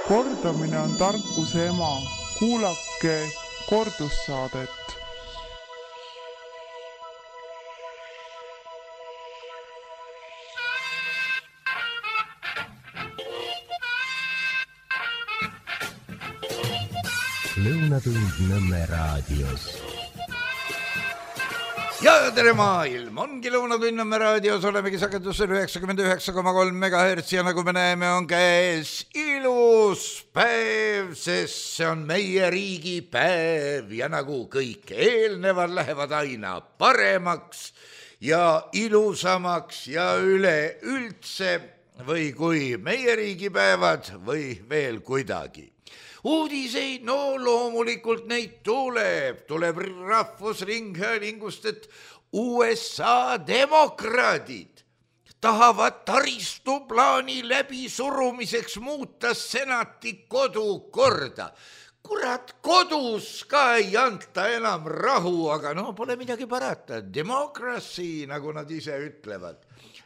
Kordamine on tarkuse ema. Kuulake kordussaadet. Lõunatund Nõmme raadios. Ja tere maailm, ongi Lõunatund Nõmme raadios, olemegi sagedusel 99,3 MHz ja nagu me näeme, on käes ilus päev, sest see on meie riigi päev ja nagu kõik eelnevad lähevad aina paremaks ja ilusamaks ja üleüldse või kui meie riigipäevad või veel kuidagi. Uudiseid, no loomulikult neid tuleb Rahvusringhäälingust, et USA demokraadid tahavad taristuplaani läbisurumiseks muuta senati kodukorda. Kurat, kodus ka ei anta enam rahu, aga no pole midagi parata. Democracy, nagu nad ise ütlevad.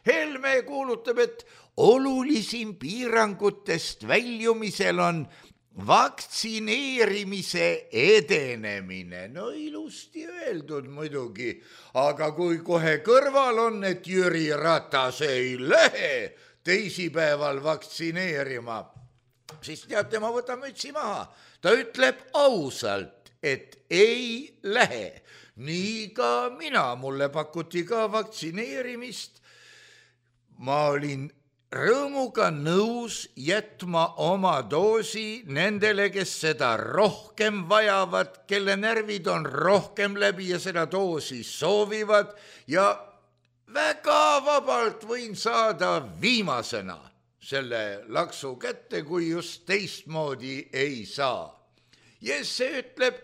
Helme kuulutab, et olulisim piirangutest väljumisel on vaktsineerimise edenemine. No ilusti öeldud muidugi, aga kui kohe kõrval on, et Jüri Ratas ei lähe teisipäeval vaktsineerima, siis teate, ma võtan mütsi maha. Ta ütleb ausalt, et ei lähe. Nii ka mina, mulle pakuti ka vaktsineerimist. Ma olin rõõmuga nõus jätma oma doosi nendele, kes seda rohkem vajavad, kelle närvid on rohkem läbi ja seda doosi soovivad ja väga vabalt võin saada viimasena selle laksu kätte, kui just teistmoodi ei saa. Jesse ütleb,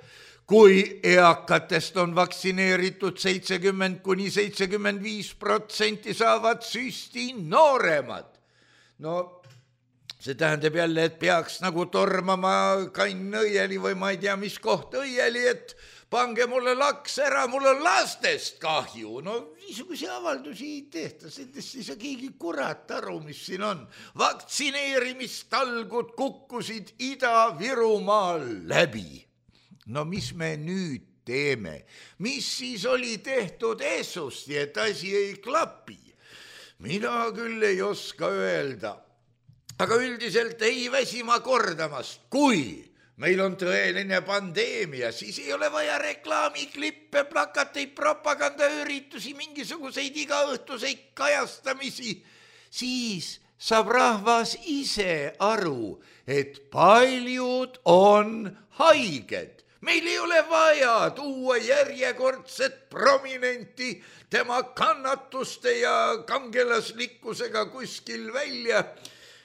kui eakatest on vaktsineeritud 70–75%, saavad süsti nooremad. No see tähendab jälle, et peaks nagu tormama Kann õieli või ma ei tea, mis koht õieli, et pange mulle laks ära, mul on lastest kahju. No niisuguse avaldusi ei tehta, sellest ei saa keegi kurat aru, mis siin on. Vaktsineerimistalgud kukkusid Ida-Virumaal läbi. No mis me nüüd teeme? Mis siis oli tehtud eessusti, et asi ei klapi? Mina küll ei oska öelda. Aga üldiselt ei väsi ma kordamast. Kui meil on tõeline pandeemia, siis ei ole vaja reklaamiklippe, plakateid, propagandaüritusi, mingisuguseid igaõhtuseid kajastamisi. Siis saab rahvas ise aru, et paljud on haiged. Meil ei ole vaja tuua järjekordset prominenti tema kannatuste ja kangelaslikkusega kuskil välja,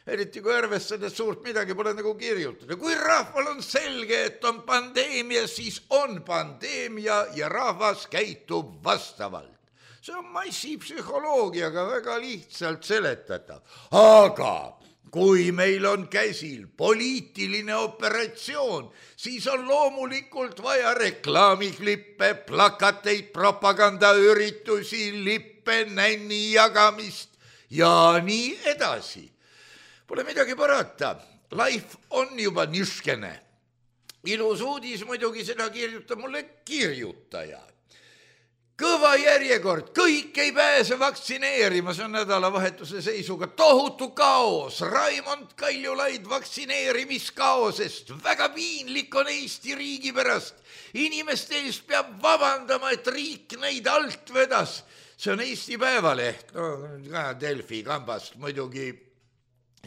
eriti kui arvestades suurt midagi pole nagu kirjutada. Kui rahval on selge, et on pandeemia, siis on pandeemia ja rahvas käitub vastavalt. See on massipsühholoogiaga väga lihtsalt seletatav. Aga kui meil on käsil poliitiline operatsioon, siis on loomulikult vaja reklaamiklippe, plakateid, propagandaüritusi, lippe, nänni jagamist ja nii edasi. Pole midagi parata, life on juba niskene. Ilus uudis muidugi, seda kirjutab mulle kirjutaja. Kõva järjekord, kõik ei pääse vaktsineerima, see on nädalavahetuse seisuga tohutu kaos. Raimond Kaljulaid vaktsineerimiskaosest, väga piinlik on Eesti riigi pärast. Inimeste eest peab vabandama, et riik neid alt vedas. See on Eesti Päevaleht, no ka Delfi kambast muidugi.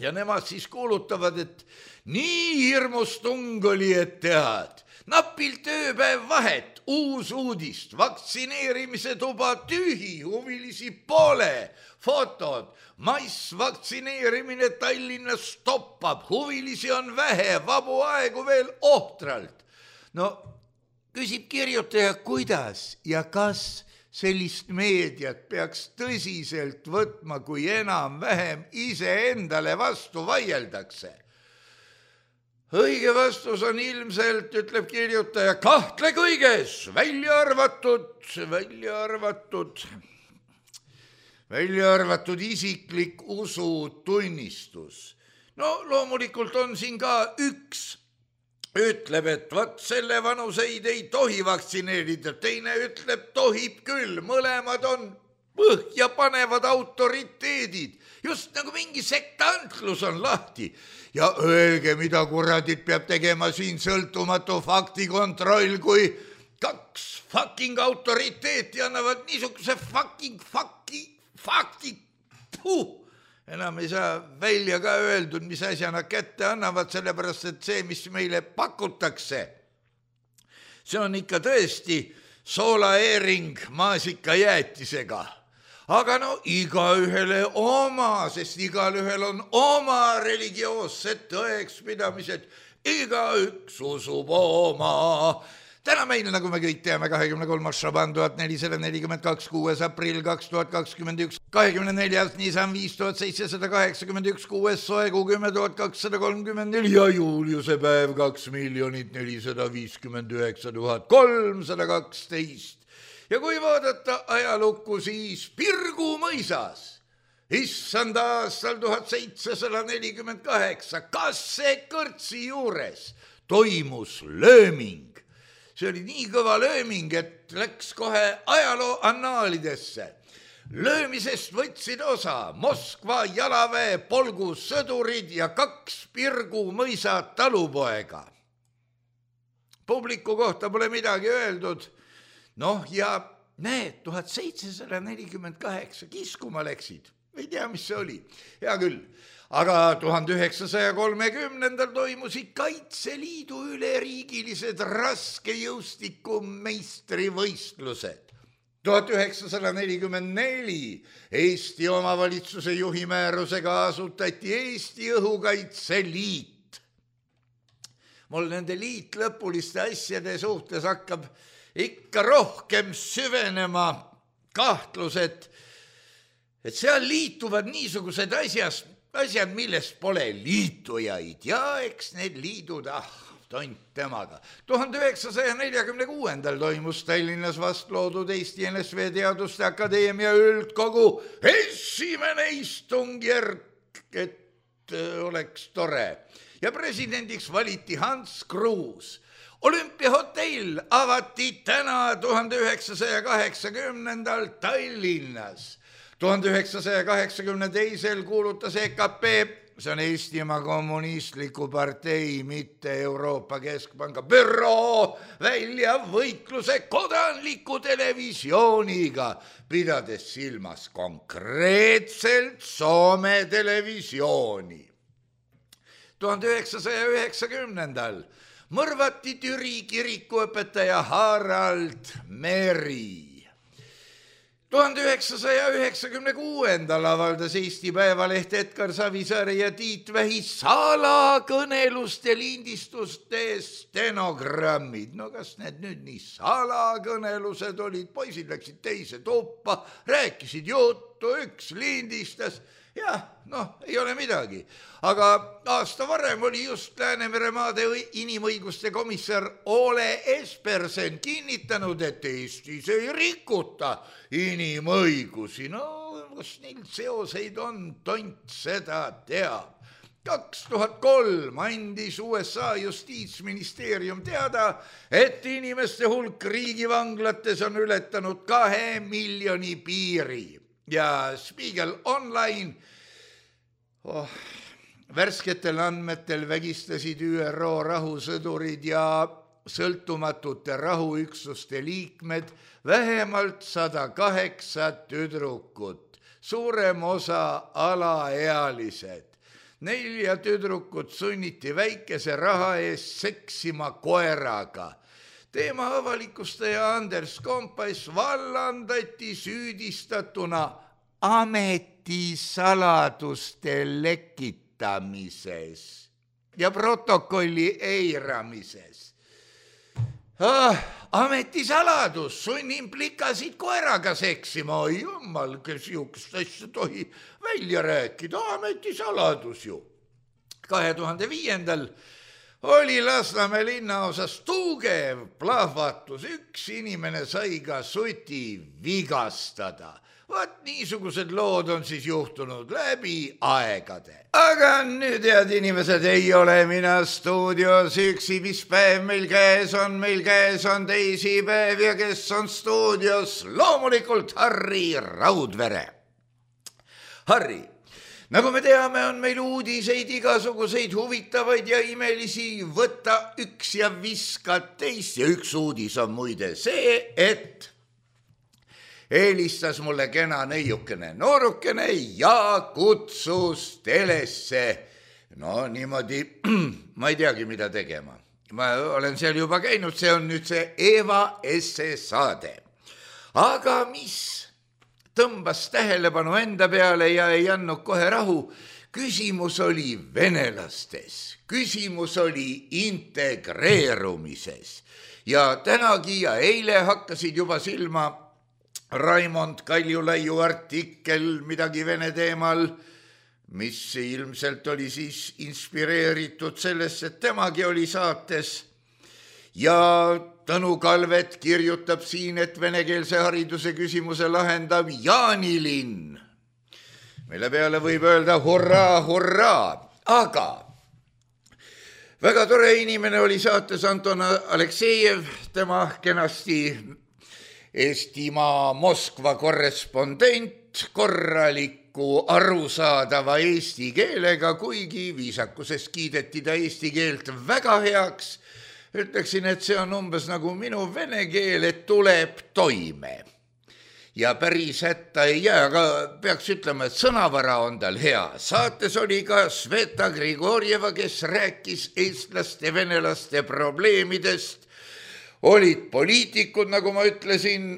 Ja nemad siis kuulutavad, et nii hirmus tung oli, et tead. Napilt ööpäev vahet, uus uudist, vaktsineerimise tuba tühi, huvilisi pole, fotod, massvaktsineerimine Tallinnas stoppab, huvilisi on vähe, vabu aegu veel ohtralt. No küsib kirjutaja, kuidas ja kas sellist meediat peaks tõsiselt võtma, kui enam-vähem iseendale vastu vaieldakse. Õige vastus on ilmselt, ütleb kirjutaja, kahtle kõiges, välja arvatud isiklik usutunnistus. no loomulikult on siin ka üks, ütleb, et vaat selle vanuseid ei tohi vaktsineerida, teine ütleb, tohib küll, mõlemad on põhja panevad autoriteedid, just nagu mingi sektantlus on lahti. Ja öelge, mida kuradit peab tegema siin sõltumatu faktikontroll, kui kaks fucking autoriteeti annavad niisuguse fakti. Enam ei saa välja ka öeldud, mis asja nad kätte annavad, sellepärast, et see, mis meile pakutakse, see on ikka tõesti soolaeering maasikajäätisega. Aga no igaühele oma, sest igalühel on oma religioossed tõekspidamised, igaüks usub oma. Täna meil, nagu me kõik teame, 23. Šaban 1442, 6. aprill 2021, 24. Nisan 5781, 6. soekuu 10.234 ja juuliuse päev 2 459 312. Ja kui vaadata ajalukku, siis Pirgu mõisas, issanda aastal 1748, Kasse kõrtsi juures toimus lööming. See oli nii kõva lööming, et läks kohe ajaloo annaalidesse. Löömisest võtsid osa Moskva jalaväe polgu sõdurid ja 2 Pirgu mõisa talupoega. Publiku kohta pole midagi öeldud. Noh, ja näed, 1748 kiskuma läksid. Ei tea, mis see oli. Hea küll. Aga 1930. toimusid Kaitseliidu üleriigilised raskejõustiku meistrivõistlused. 1944 Eesti omavalitsuse juhi määrusega asutati Eesti Õhukaitseliit. Mul nende liitlõpuliste asjade suhtes hakkab ikka rohkem süvenema kahtlus, et seal liituvad niisugused asjad, millest pole liitujaid. Ja eks need liidud, tont temaga. 1946. toimus Tallinnas vastloodud Eesti NSV Teaduste Akadeemia üldkogu esimene istungjärk, et oleks tore. Ja presidendiks valiti Hans Kruus. Olümpiahotell avati täna 1980. Tallinnas. 1982. kuulutas EKP, see on Eestimaa Kommunistliku Partei, mitte Euroopa Keskpanga büroo, välja võitluse kodanliku televisiooniga, pidades silmas konkreetselt Soome televisiooni. 1990. mõrvati Türi kirikuõpetaja Harald Meri. 1996. avaldas Eesti Päevaleht Edgar Savisaare ja Tiit Vähi salakõneluste lindistuste stenogrammid. No kas need nüüd nii salakõnelused olid, poisid läksid teise tuppa, rääkisid juttu, üks lindistas. Jah, ei ole midagi. Aga aasta varem oli just Läänemere maade inimõiguste komissar Ole Espersen kinnitanud, et Eestis ei rikuta inimõigusi. No, kas neil seoseid on, tont seda teab. 2003 andis USA justiitsministeerium teada, et inimeste hulk riigivanglates on ületanud 2 miljoni piiri. Ja Spiegel Online värsketel andmetel vägistasid ÜRO rahusõdurid ja sõltumatute rahuüksuste liikmed vähemalt 108 tüdrukut, suurem osa alaealised. 4 tüdrukut sunniti väikese raha eest seksima koeraga. Teema avalikustaja Anders Kompass vallandati süüdistatuna ametisaladuste lekitamises ja protokolli eiramises. Ametisaladus, sunnin plikasid koeraga seksima, oi jummal, kes niisugust asja tohi välja rääkida, ametisaladus ju. 2005. oli Lasnamäe linnaosas tugev plahvatus, üks inimene sai ka suti vigastada. Vaat niisugused lood on siis juhtunud läbi aegade. Aga nüüd, head inimesed, ei ole mina stuudios üksi, mis päev meil käes on teisipäev ja kes on stuudios? Loomulikult Harri Raudvere. Harri, nagu me teame, on meil uudiseid igasuguseid huvitavaid ja imelisi, võta üks ja viska teist ja üks uudis on muide see, et helistas mulle kena neiukene noorukene ja kutsus telesse. No niimoodi, ma ei teagi, mida tegema. Ma olen seal juba käinud, see on nüüd see Eva Esse saade. Aga mis tõmbas tähelepanu enda peale ja ei andnud kohe rahu, küsimus oli venelastes, küsimus oli integreerumises. Ja tänagi ja eile hakkasid juba silma Raimond Kaljulaiu artikkel midagi vene teemal, mis ilmselt oli siis inspireeritud sellest, et temagi oli saates. Ja Tõnu Kalvet kirjutab siin, et venekeelse hariduse küsimuse lahendab Jaanilinn. Mille peale võib öelda hurraa, hurraa, aga väga tore inimene oli saates Anton Aleksejev, tema kenasti Eestimaa Moskva korrespondent, korraliku arusaadava eesti keelega, kuigi viisakusest kiideti ta eesti keelt väga heaks. Ütleksin, et see on umbes nagu minu vene keel, et tuleb toime. Ja päris hätta ei jää, aga peaks ütlema, et sõnavara on tal hea. Saates oli ka Sveta Grigorjeva, kes rääkis eestlaste, venelaste probleemidest. Olid poliitikud, nagu ma ütlesin,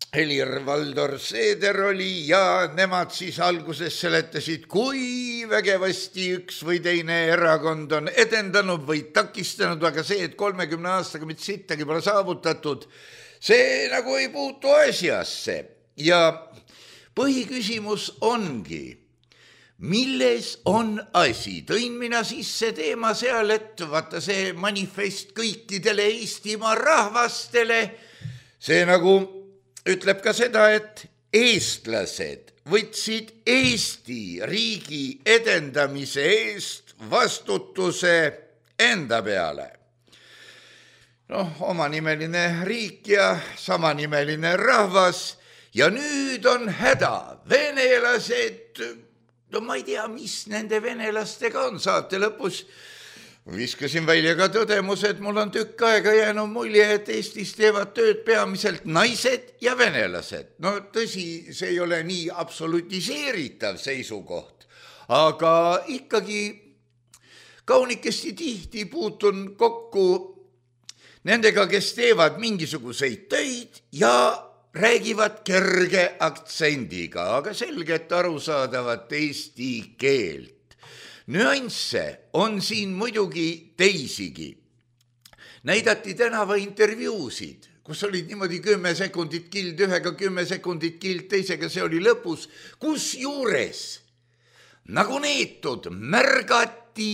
Helir-Valdor Seeder oli ja nemad siis alguses seletasid, kui vägevasti üks või teine erakond on edendanud või takistanud, aga see, et 30 aastaga mitte sittagi pole saavutatud, see nagu ei puutu asjasse. Ja põhiküsimus ongi, milles on asi? Tõin mina sisse teema seal, et vaata see manifest kõikidele Eestimaa rahvastele, see nagu ütleb ka seda, et eestlased võtsid Eesti riigi edendamise eest vastutuse enda peale. Noh, omanimeline riik ja samanimeline rahvas ja nüüd on häda. Venelased, no ma ei tea, mis nende venelastega on. Saate lõpus viskasin välja ka tõdemus, et mul on tükk aega jäänud mulje, et Eestis teevad tööd peamiselt naised ja venelased. No tõsi, see ei ole nii absolutiseeritav seisukoht, aga ikkagi kaunikesti tihti puutun kokku nendega, kes teevad mingisuguseid töid ja räägivad kerge aktsendiga, aga selgelt arusaadavat eesti keelt. Nüansse on siin muidugi teisigi. Näidati tänava intervjuusid, kus olid niimoodi 10 sekundit kild ühega, 10 sekundit kild teisega, see oli lõpus, kus juures nagu neetud märgati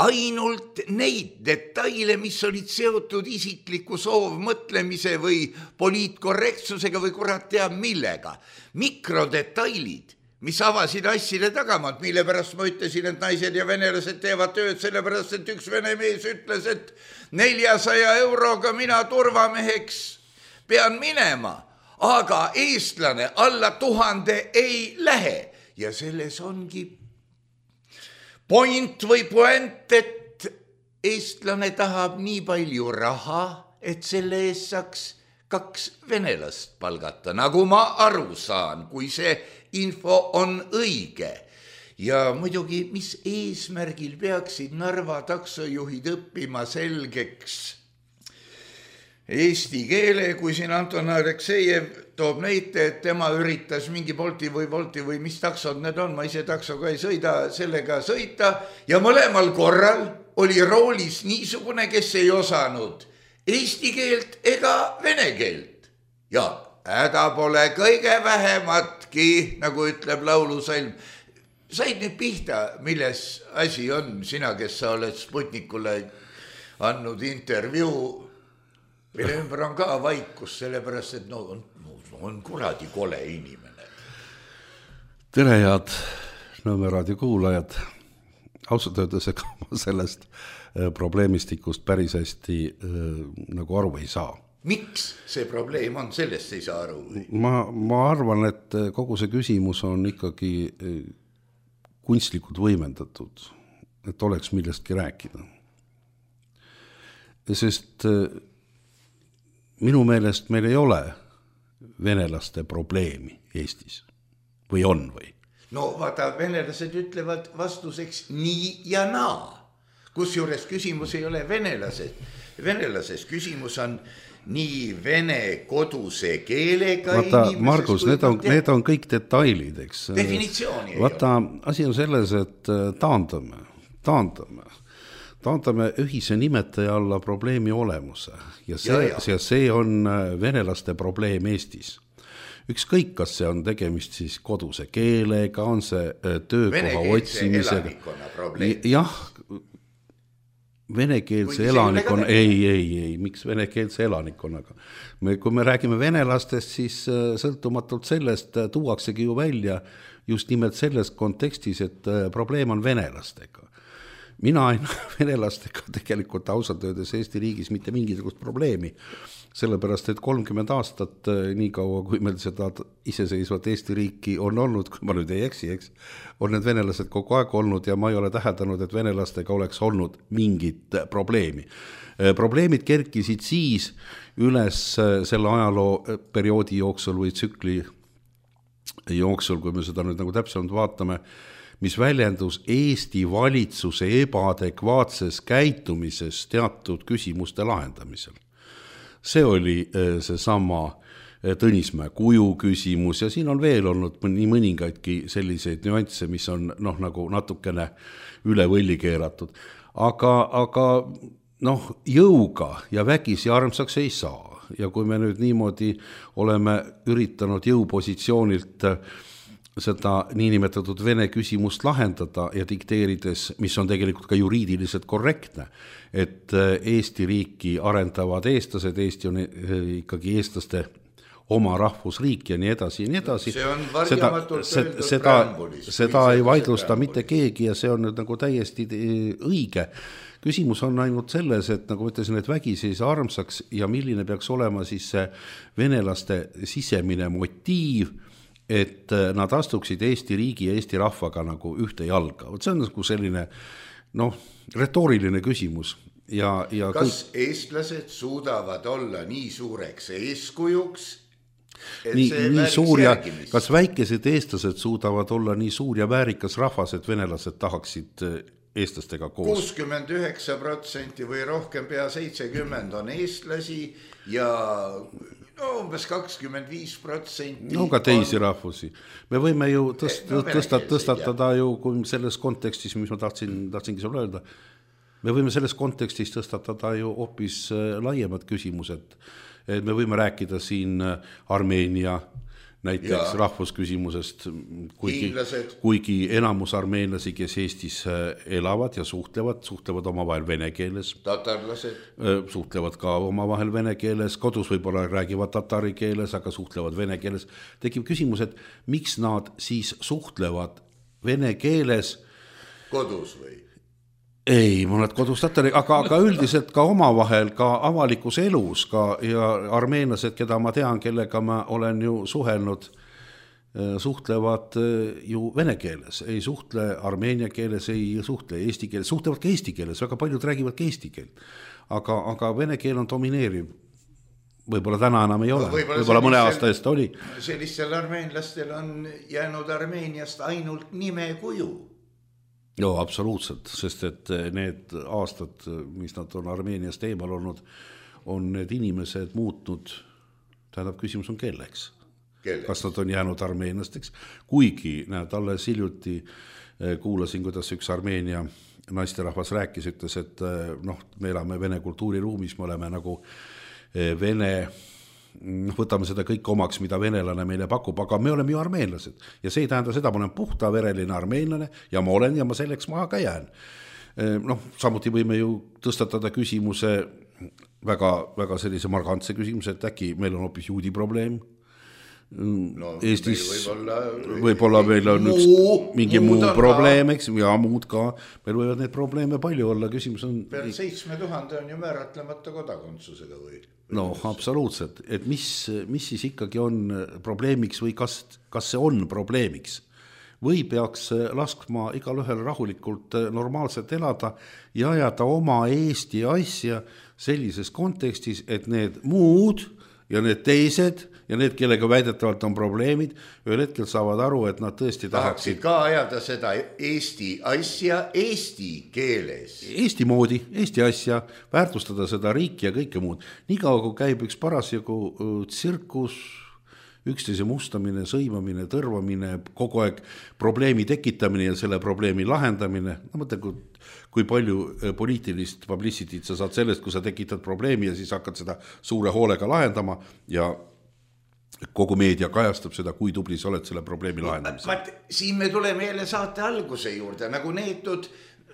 ainult neid detaile, mis olid seotud isikliku soovmõtlemise või poliitkorrektsusega või kurat teab millega. Mikrodetailid, mis avasid assile tagamaad, mille pärast ma ütlesin, et naised ja venelased teevad tööd, sellepärast, et üks vene mees ütles, et 400 euroga mina turvameheks pean minema, aga eestlane alla 1000 ei lähe. Ja selles ongi point või puent, et eestlane tahab nii palju raha, et selle eest saaks 2 venelast palgata, nagu ma aru saan, kui see info on õige. Ja muidugi, mis eesmärgil peaksid Narva taksojuhid õppima selgeks eesti keele, kui siin Anton Aleksejev toob näite, et tema üritas mingi Bolti või mis taksod need on, ma ise taksoga ei sõida, sellega sõita ja mõlemal korral oli roolis niisugune, kes ei osanud eesti keelt ega vene keelt. Ja häda pole kõige vähematki, nagu ütleb laulusalm. Said nüüd pihta, milles asi on, sina, kes sa oled Sputnikule andnud intervjuu, mille ümber on ka vaikus, sellepärast, et on kuradi kole inimene. Tere, head Nõmme raadio kuulajad. Ausalt öeldes, ega ma sellest probleemistikust päris hästi nagu aru ei saa. Miks see probleem on, sellest ei saa aru? Ma arvan, et kogu see küsimus on ikkagi kunstlikult võimendatud, et oleks millestki rääkida. Sest minu meelest meil ei ole venelaste probleemi Eestis. Või on või? No vaata, venelased ütlevad vastuseks nii ja naa. Kusjuures küsimus ei ole venelases. Küsimus on nii vene koduse keelega vaata, Margus, need on kõik detailid, eks. Definitsiooni vaata, asi on selles, et taandame ühise nimetaja alla probleemi olemuse. Ja see on venelaste probleem Eestis. Ükskõik, kas see on tegemist siis koduse keelega, on see töökoha otsimisega. Jah, venekeelse elanikkonna, ei, miks venekeelse elanikkonnaga? Kui me räägime venelastest, siis sõltumatult sellest tuuaksegi ju välja just nimelt selles kontekstis, et probleem on venelastega. Mina ei näe venelastega tegelikult ausalt öeldes Eesti riigis mitte mingisugust probleemi, sellepärast, et 30 aastat, nii kaua kui meil seda iseseisvat Eesti riiki on olnud, kui ma nüüd ei eksi, on need venelased kogu aeg olnud ja ma ei ole täheldanud, et venelastega oleks olnud mingit probleemi. Probleemid kerkisid siis üles selle ajaloo perioodi jooksul või tsükli jooksul, kui me seda nüüd nagu täpsemalt vaatame, mis väljendus Eesti valitsuse ebaadekvaatses käitumises teatud küsimuste lahendamisel. See oli seesama Tõnismäe kuju küsimus ja siin on veel olnud nii mõningaidki selliseid nüansse, mis on nagu natukene üle võlli keeratud. Aga jõuga ja vägisi armsaks ei saa. Ja kui me nüüd niimoodi oleme üritanud jõupositsioonilt seda niinimetatud vene küsimust lahendada ja dikteerides, mis on tegelikult ka juriidiliselt korrektne, et Eesti riiki arendavad eestlased, Eesti on ikkagi eestlaste oma rahvusriik ja nii edasi. See on varjamatult öeldud preambulis. Seda ei vaidlusta mitte keegi ja see on nüüd nagu täiesti õige. Küsimus on ainult selles, et nagu ütlesin, et vägisi ei saa armsaks ja milline peaks olema siis see venelaste sisemine motiiv, et nad astuksid Eesti riigi ja Eesti rahvaga nagu ühte jalga. See on nagu selline retooriline küsimus. Kas eestlased suudavad olla nii suureks eeskujuks, et nii see suur ja järgimist? Kas väikesed eestlased suudavad olla nii suur ja väärikas rahvas, et venelased tahaksid eestlastega koos? 69% või rohkem, pea 70% on eestlasi ja umbes 25%. Ka teisi rahvusi. Me võime ju tõstatada ju, kui selles kontekstis, mis ma tahtsingi sulle öelda, me võime selles kontekstis tõstatada ju hoopis laiemad küsimused. Me võime rääkida siin Armeenia näiteks rahvusküsimusest, kuigi enamus armeenlasi, kes Eestis elavad ja suhtlevad omavahel vene keeles. Tatarlased. Suhtlevad ka omavahel vene keeles, kodus võib-olla räägivad tatari keeles, aga suhtlevad vene keeles. Tekib küsimus, et miks nad siis suhtlevad vene keeles? Kodus või? Ei, mõned kodus tatari, aga üldiselt ka omavahel, ka avalikus elus ja armeenlased, keda ma tean, kellega ma olen ju suhelnud, suhtlevad ju vene keeles, ei suhtle armeenia keeles, ei suhtle eesti keeles, suhtlevad ka eesti keeles, väga paljud räägivad ka eesti keelt, aga vene keel on domineeriv. Võib-olla täna enam ei ole, võib-olla mõne aasta eest oli. Sellistel armeenlastel on jäänud Armeeniast ainult nime kuju. Joo, absoluutselt, sest et need aastad, mis nad on Armeeniast eemal olnud, on need inimesed muutnud, tähendab küsimus on kelleks. Kas nad on jäänud armeenlasteks, kuigi alles hiljuti kuulasin, kuidas üks Armeenia naisterahvas rääkis, ütles, et me elame vene kultuuriruumis, me oleme nagu vene, võtame seda kõik omaks, mida venelane meile pakub, aga me oleme ju armeenlased ja see ei tähenda seda, ma olen puhtavereline armeenlane ja ma olen ja ma selleks maha ka jään. Samuti võime ju tõstatada küsimuse, väga sellise margantse küsimuse, et äkki meil on hoopis juudi probleem Eestis võib-olla meil on mingi muu probleem, eks, ja muud ka, meil võivad neid probleeme palju olla, küsimus on... Peal 7000 on ju määratlemata kodakondsusega või? No, absoluutselt, et mis siis ikkagi on probleemiks või kas see on probleemiks? Või peaks laskma igal ühel rahulikult normaalselt elada ja ajada oma Eesti asja sellises kontekstis, et need muud ja need teised ja need, kellega väidetavalt on probleemid, ühel hetkel saavad aru, et nad tõesti tahaksid ka ajada seda Eesti asja eesti keeles. Eesti moodi, Eesti asja, väärtustada seda riiki ja kõike muud. Niikaua, kui käib üks parasjagu tsirkus, üksteise mustamine, sõimamine, tõrvamine, kogu aeg probleemi tekitamine ja selle probleemi lahendamine. No mõtle, kui palju poliitilist publicityt sa saad sellest, kui sa tekitad probleemi ja siis hakkad seda suure hoolega lahendama ja kogu meedia kajastab seda, kui tubli sa oled selle probleemi lahendamisel. Siin me tuleme jälle saate alguse juurde, nagu neetud,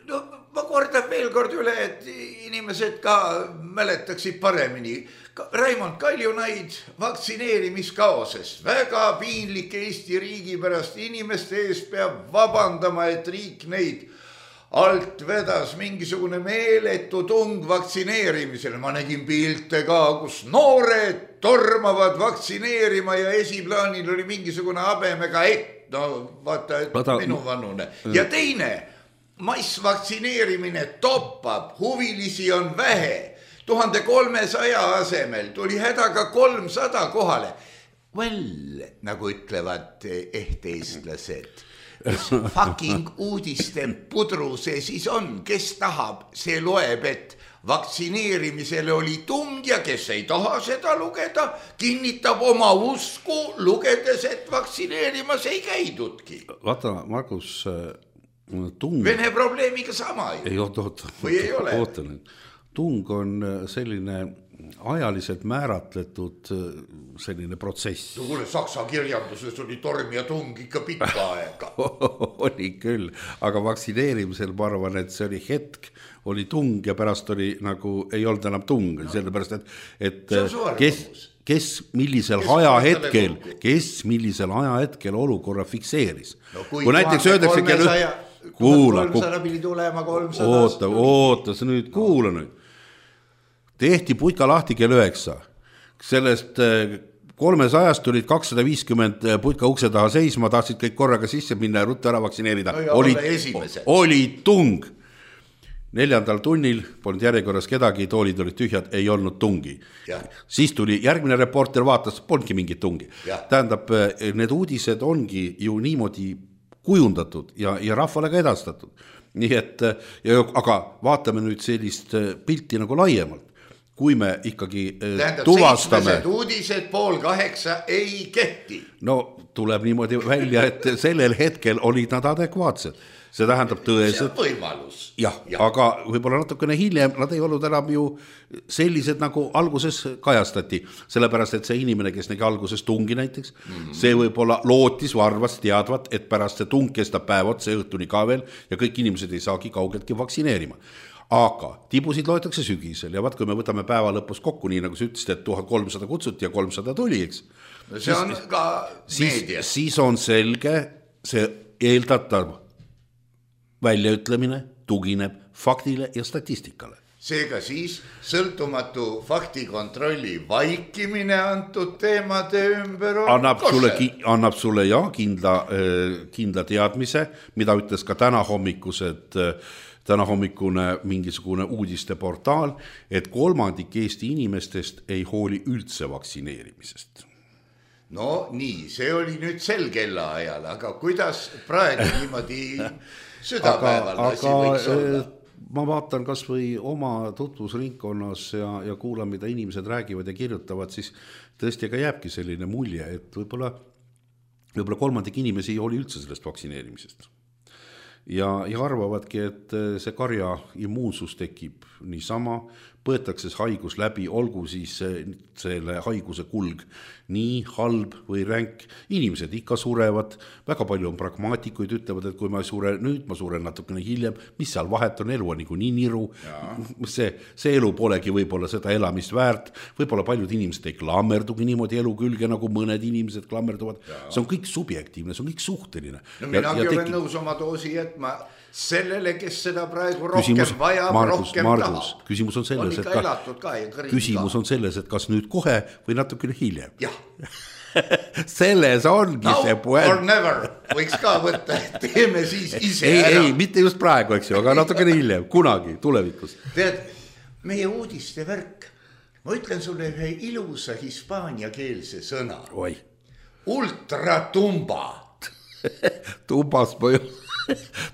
no ma kordan veel kord üle, et inimesed ka mäletaksid paremini. Raimond Kaljunaid vaktsineerimiskaoses, väga piinlik Eesti riigi pärast, inimeste ees peab vabandama, et riik neid alt vedas mingisugune meeletu tung vaktsineerimisele. Ma nägin pilte ka, kus noored tormavad vaktsineerima ja esiplaanil oli mingisugune habemega no vaata, et minu vanune. Ja teine, massvaktsineerimine toppab, huvilisi on vähe. 1300 asemel tuli hädaga 300 kohale. Well, nagu ütlevad eestlased. Fucking uudiste pudru see siis on, kes tahab, see loeb, et vaktsineerimisele oli tung ja kes ei taha seda lugeda, kinnitab oma usku, lugedes, et vaktsineerimas ei käidudki. Vaata, Margus, tung... Vene probleemiga sama ju. Oota nüüd. Tung on selline ajaliselt määratletud selline protsess. Kuule, saksa kirjanduses oli torm ja tung ikka pikka aega. Oli küll, aga vaktsineerimisel ma arvan, et see oli hetk, oli tung ja pärast oli nagu ei olnud enam tung, sellepärast, et kes millisel ajahetkel olukorra fikseeris. No, kui näiteks öeldakse, 300 pidi tulema 300. Oota, sa nüüd kuula nüüd. Tehti putka lahti kell 9. Sellest 300-st tulid 250 putka ukse taha seisma, tahtsid kõik korraga sisse minna ja rutta ära vaktsineerida. Oli tung. 4. tunnil polnud järjekorras kedagi, toolid olid tühjad, ei olnud tungi. Ja. Siis tuli järgmine reporter, vaatas, polnudki mingit tungi. Ja. Tähendab, need uudised ongi ju niimoodi kujundatud ja rahvale ka edastatud. Nii et, aga vaatame nüüd sellist pilti nagu laiemalt. Kui me ikkagi tuvastame... 7 uudised 7:30 ei kehti. No tuleb niimoodi välja, et sellel hetkel olid nad adekvaatsed. See tähendab tõeselt... See on võimalus. Jah, aga võib-olla natukene hiljem nad ei olnud enam ju sellised, nagu alguses kajastati. Sellepärast, et see inimene, kes nägi alguses tungi näiteks, see võib-olla lootis või arvas teadvat, et pärast see tung kestab päevad, see õhtuni ka veel ja kõik inimesed ei saagi kaugeltki vaktsineerima. Aga tibusid loetakse sügisel ja vaat, kui me võtame päeva lõpus kokku, nii nagu sa ütlesid, et 1300 kutsuti ja 300 tuli, eks? See on ka meedias. Siis on selge, see eeldatav väljaütlemine tugineb faktile ja statistikale. Seega siis sõltumatu faktikontrolli vaikimine antud teemade ümber on annab sulle ja kindla teadmise, mida ütles ka tänahommikune mingisugune uudiste portaal, et 3% Eesti inimestest ei hooli üldse vaktsineerimisest. No nii, see oli nüüd sel kellaajal, aga kuidas praegu niimoodi südapäeval asi võiks olla? Ma vaatan kas või oma tutvusringkonnas ja kuulan, mida inimesed räägivad ja kirjutavad, siis tõesti ka jääbki selline mulje, et võib-olla 3% inimesi ei hooli üldse sellest vaktsineerimisest. ja arvavadki, et see karja immuunsus tekib niisama, põetakse see haigus läbi, olgu siis selle haiguse kulg nii halb või ränk. Inimesed ikka surevad, väga palju on pragmaatikuid, ütlevad, et kui ma ei sure nüüd, ma suren natukene hiljem, mis seal vahet on, elu on nii niru, see elu polegi võib-olla seda elamist väärt, võib-olla paljud inimesed ei klammerdugi niimoodi elu külge, nagu mõned inimesed klammerduvad, see on kõik subjektiivne, see on kõik suhteline. No minagi olen nõus oma doosi jätma sellele, kes seda praegu rohkem vajab, rohkem tahab. Küsimus on selles, et kas nüüd kohe või natukene hiljem. Jah. Selles ongi Now see puent. Or never, võiks ka võtta, et teeme siis ise ära. Ei, mitte just praegu, eks ju, aga natukene hiljem, kunagi, tulevikus. Tead, meie uudiste värk, ma ütlen sulle ühe ilusa hispaaniakeelse sõna. Oi. Ultratumba. Tumbas ma ju...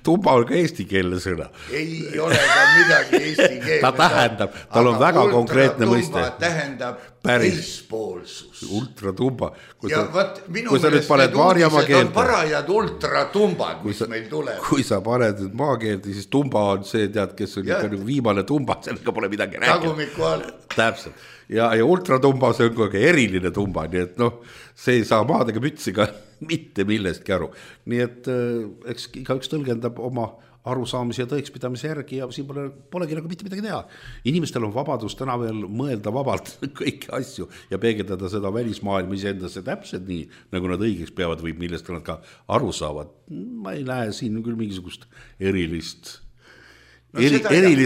Tumba on ka eestikeelne sõna. Ei ole ka midagi eestikeelne. Ta tähendab, tal on väga konkreetne mõiste. Ultratumba tähendab teispoolsus. Ultratumba. Kui sa nüüd paned Maarjamaa keelde. On parajad ultratumbad, mis meil tuleb. Kui sa paned nüüd maakeelde, siis tumba on see, tead, kes on ikka viimane tumba, sellega pole midagi rääkida. Tagumiku all. Täpselt. Ja ultratumba, see on kogu eriline tumba, nii et see ei saa maadega mütsiga mitte millestki aru. Nii et eks igaüks tõlgendab oma arusaamise ja tõekspidamise järgi ja siin polegi nagu mitte midagi teha. Inimestel on vabadus täna veel mõelda vabalt kõiki asju ja peegeldada seda välismaailma iseendasse täpselt nii, nagu nad õigeks peavad või millest nad ka aru saavad. Ma ei näe siin küll mingisugust erilist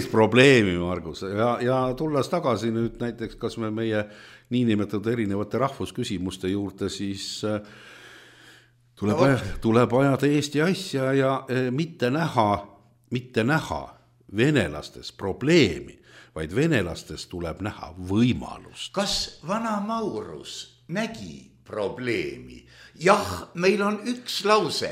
probleemi, Margus, ja tulles tagasi nüüd näiteks, kas me meie niinimetatud erinevate rahvusküsimuste juurde, siis tuleb ajada Eesti asja ja mitte näha venelastes probleemi, vaid venelastes tuleb näha võimalust. Kas vana Maurus nägi probleemi? Jah, meil on üks lause,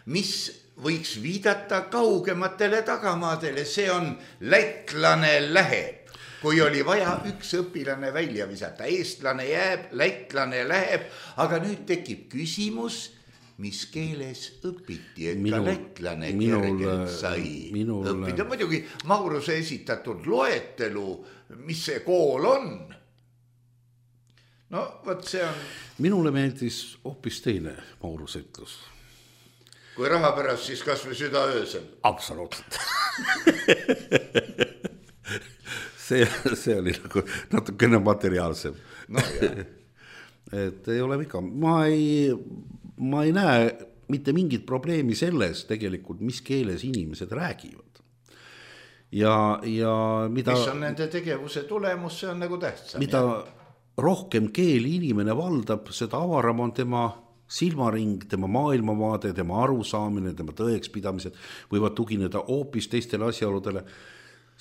mis võiks viidata kaugematele tagamaadele, see on lätlane läheb. Kui oli vaja üks õpilane välja visata, eestlane jääb, lätlane läheb, aga nüüd tekib küsimus, mis keeles õpiti, et ka lätlane kergelt sai õppida. Muidugi Mauruse esitatud loetelu, mis see kool on. No, võt see on... Minule meeldis hoopis teine Mauruse ütlus. Kui raha pärast, siis kas või süda öösel. Absoluutselt. see oli nagu natukene materiaalsem. No jah. Et ei ole viga. Ma ei näe mitte mingit probleemi selles tegelikult, mis keeles inimesed räägivad. Ja mida... Mis on nende tegevuse tulemus, see on nagu tähtsam. Mida rohkem keeli inimene valdab, seda avaram on tema... silmaring, tema maailmavaade, tema arusaamine, tema tõekspidamised võivad tugineda hoopis teistele asjaoludele.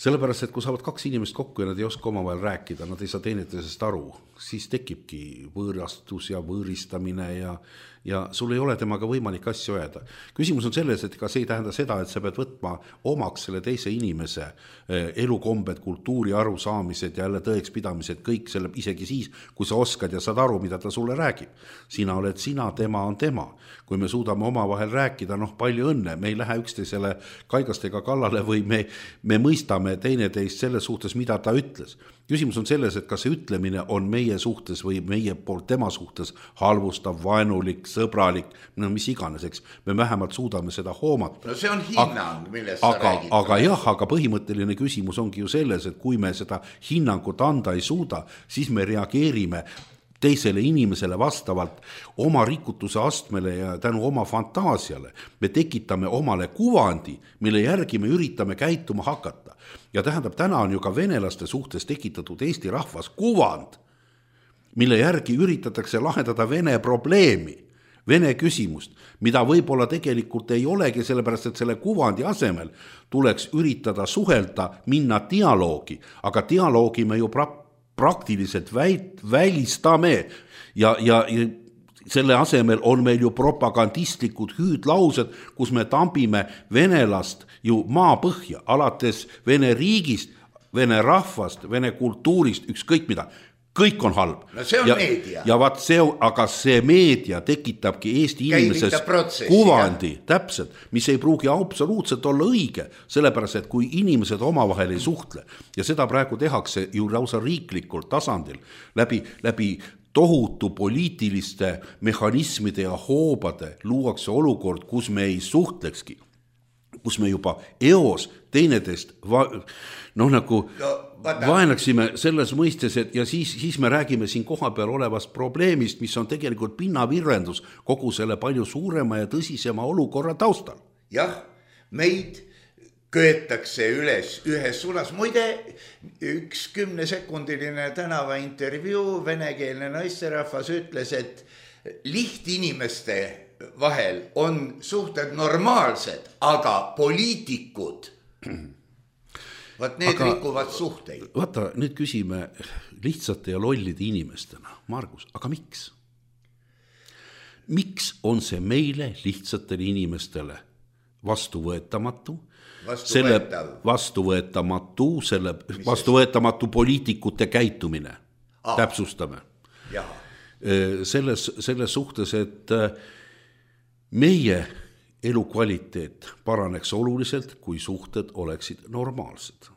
Sellepärast, et kui saavad kaks inimest kokku ja nad ei oska omavahel rääkida, nad ei saa teineteisest aru, siis tekibki võõrastus ja võõristamine ja sul ei ole temaga võimalik asju öelda. Küsimus on selles, et ka see ei tähenda seda, et sa pead võtma omaks selle teise inimese elukombed, kultuuri arusaamised ja jälle tõekspidamised, kõik selle isegi siis, kui sa oskad ja saad aru, mida ta sulle räägib. Sina oled sina, tema on tema. Kui me suudame omavahel rääkida, palju õnne, me ei lähe üksteisele kaigastega kallale või me mõistame teineteist selles suhtes, mida ta ütles. Küsimus on selles, et kas see ütlemine on meie suhtes või meie poolt tema suhtes halvustav, vaenulik, sõbralik, mis iganes, eks. Me vähemalt suudame seda hoomata. No see on hinnang, millest sa räägid. Aga põhimõtteline küsimus ongi ju selles, et kui me seda hinnangut anda ei suuda, siis me reageerime teisele inimesele vastavalt oma rikutuse astmele ja tänu oma fantaasiale. Me tekitame omale kuvandi, mille järgi me üritame käituma hakata. Ja tähendab, täna on ju ka venelaste suhtes tekitatud Eesti rahvas kuvand, mille järgi üritatakse lahendada vene probleemi, vene küsimust, mida võib-olla tegelikult ei olegi, sellepärast et selle kuvandi asemel tuleks üritada suhelda, minna dialoogi, aga dialoogi me ju praktiliselt välistame ja selle asemel on meil ju propagandistlikud hüüdlaused, kus me tambime venelast ju maapõhja, alates vene riigist, vene rahvast, vene kultuurist, ükskõik mida. kõik on halb. No see on meedia. Ja vaat see, aga see meedia tekitabki Eesti inimeses kuvandi, täpselt, mis ei pruugi absoluutselt olla õige, sellepärast, et kui inimesed omavahel ei suhtle ja seda praegu tehakse ju lausa riiklikul tasandil läbi tohutu poliitiliste mehhanismide ja hoobade luuakse olukord, kus me ei suhtlekski, kus me juba eos teineteist vaenaksime selles mõistes, et ja siis me räägime siin kohapeal olevast probleemist, mis on tegelikult pinnavirvendus kogu selle palju suurema ja tõsisema olukorra taustal. Jah, meid köetakse üles ühes suunas. Muide, 10-sekundiline tänavaintervjuu venekeelne naisterahvas ütles, et lihtinimeste vahel on suhted normaalsed, aga poliitikud need rikuvad suhteid. Vaata, nüüd küsime lihtsate ja lollide inimestena. Margus, aga miks? Miks on see meile lihtsatele inimestele vastuvõetamatu? Vastuvõetamatu poliitikute käitumine. Täpsustame. Selles suhtes, et meie elukvaliteet paraneks oluliselt, kui suhted oleksid normaalsed.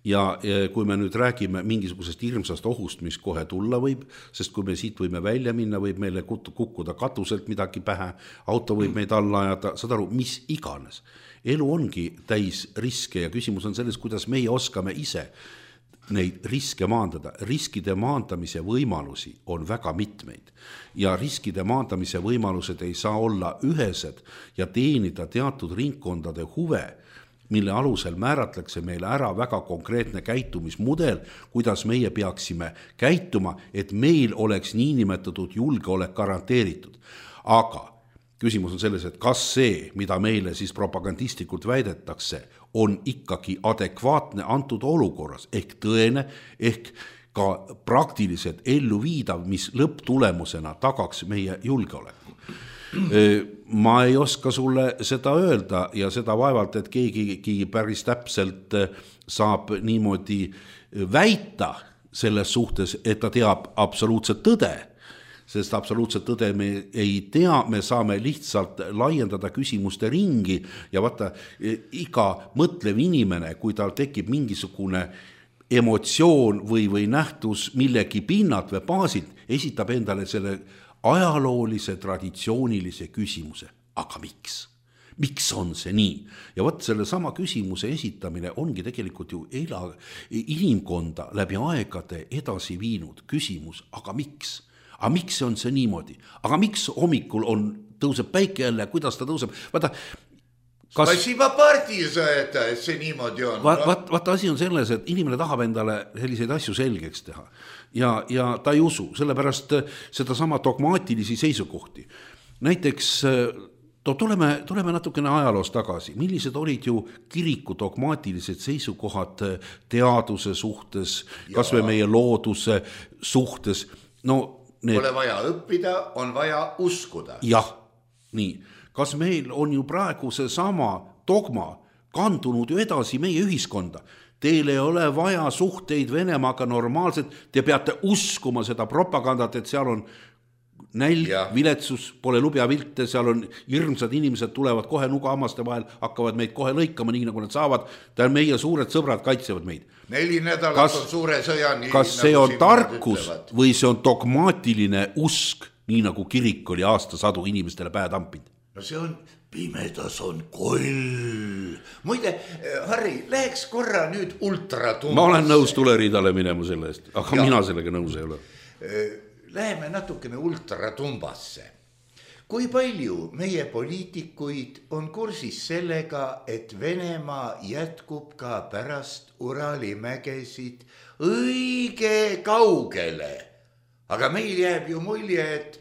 Ja kui me nüüd räägime mingisugusest hirmsast ohust, mis kohe tulla võib, sest kui me siit võime välja minna, võib meile kukkuda katuselt midagi pähe, auto võib meid alla ajada, saad aru, mis iganes. Elu ongi täis riske ja küsimus on selles, kuidas meie oskame ise neid riske maandada. Riskide maandamise võimalusi on väga mitmeid ja riskide maandamise võimalused ei saa olla ühesed ja teenida teatud ringkondade huve, mille alusel määratlekse meile ära väga konkreetne käitumismudel, kuidas meie peaksime käituma, et meil oleks niinimetatud julgeolek garanteeritud. Aga küsimus on selles, et kas see, mida meile siis propagandistlikult väidetakse, on ikkagi adekvaatne antud olukorras, ehk tõene, ehk ka praktiliselt ellu viidav, mis lõpptulemusena tagaks meie julgeoleku. Ma ei oska sulle seda öelda ja seda vaevalt, et keegi päris täpselt saab niimoodi väita selles suhtes, et ta teab absoluutset tõde, sest absoluutset tõde me ei tea, me saame lihtsalt laiendada küsimuste ringi ja vaata, iga mõtlev inimene, kui tal tekib mingisugune emotsioon või nähtus millegi pinnalt või baasilt, esitab endale selle ajaloolise, traditsioonilise küsimuse. Aga miks? Miks on see nii? Ja võt selle sama küsimuse esitamine ongi tegelikult ju inimkonda läbi aegade edasi viinud küsimus, aga miks? Aga miks on see niimoodi? Aga miks hommikul tõuseb päike jälle, kuidas ta tõuseb? Vaata, Spasiba partiisa, et see niimoodi on. Vaata, asi on selles, et inimene tahab endale selliseid asju selgeks teha ja ta ei usu, sellepärast seda sama dogmaatilisi seisukohti. Näiteks tuleme natukene ajaloos tagasi. Millised olid ju kiriku dogmaatilised seisukohad teaduse suhtes, kas või meie looduse suhtes? Pole vaja õppida, on vaja uskuda. Jah, nii. Kas meil on ju praegu see sama dogma kandunud ju edasi meie ühiskonda? Teil ei ole vaja suhteid Venemaaga normaalselt, te peate uskuma seda propagandat, et seal on nälg, viletsus, pole lubjavilte, seal on hirmsad inimesed, tulevad kohe nugahammaste vahel, hakkavad meid kohe lõikama, nii nagu nad saavad, meie suured sõbrad kaitsevad meid. 4 nädalat on suure sõjani. Kas see on tarkus või see on dogmaatiline usk, nii nagu kirik oli aastasadu inimestele pähe tampinud? No see on, pimedas on koll. Muide, Harri, läheks korra nüüd ultratumbasse. Ma olen nõus tuleriidale minema selle eest, aga mina sellega nõus ei ole. Läheme natukene ultratumbasse. Kui palju meie poliitikuid on kursis sellega, et Venemaa jätkub ka pärast Urali mägesid õige kaugele? Aga meil jääb ju mulje, et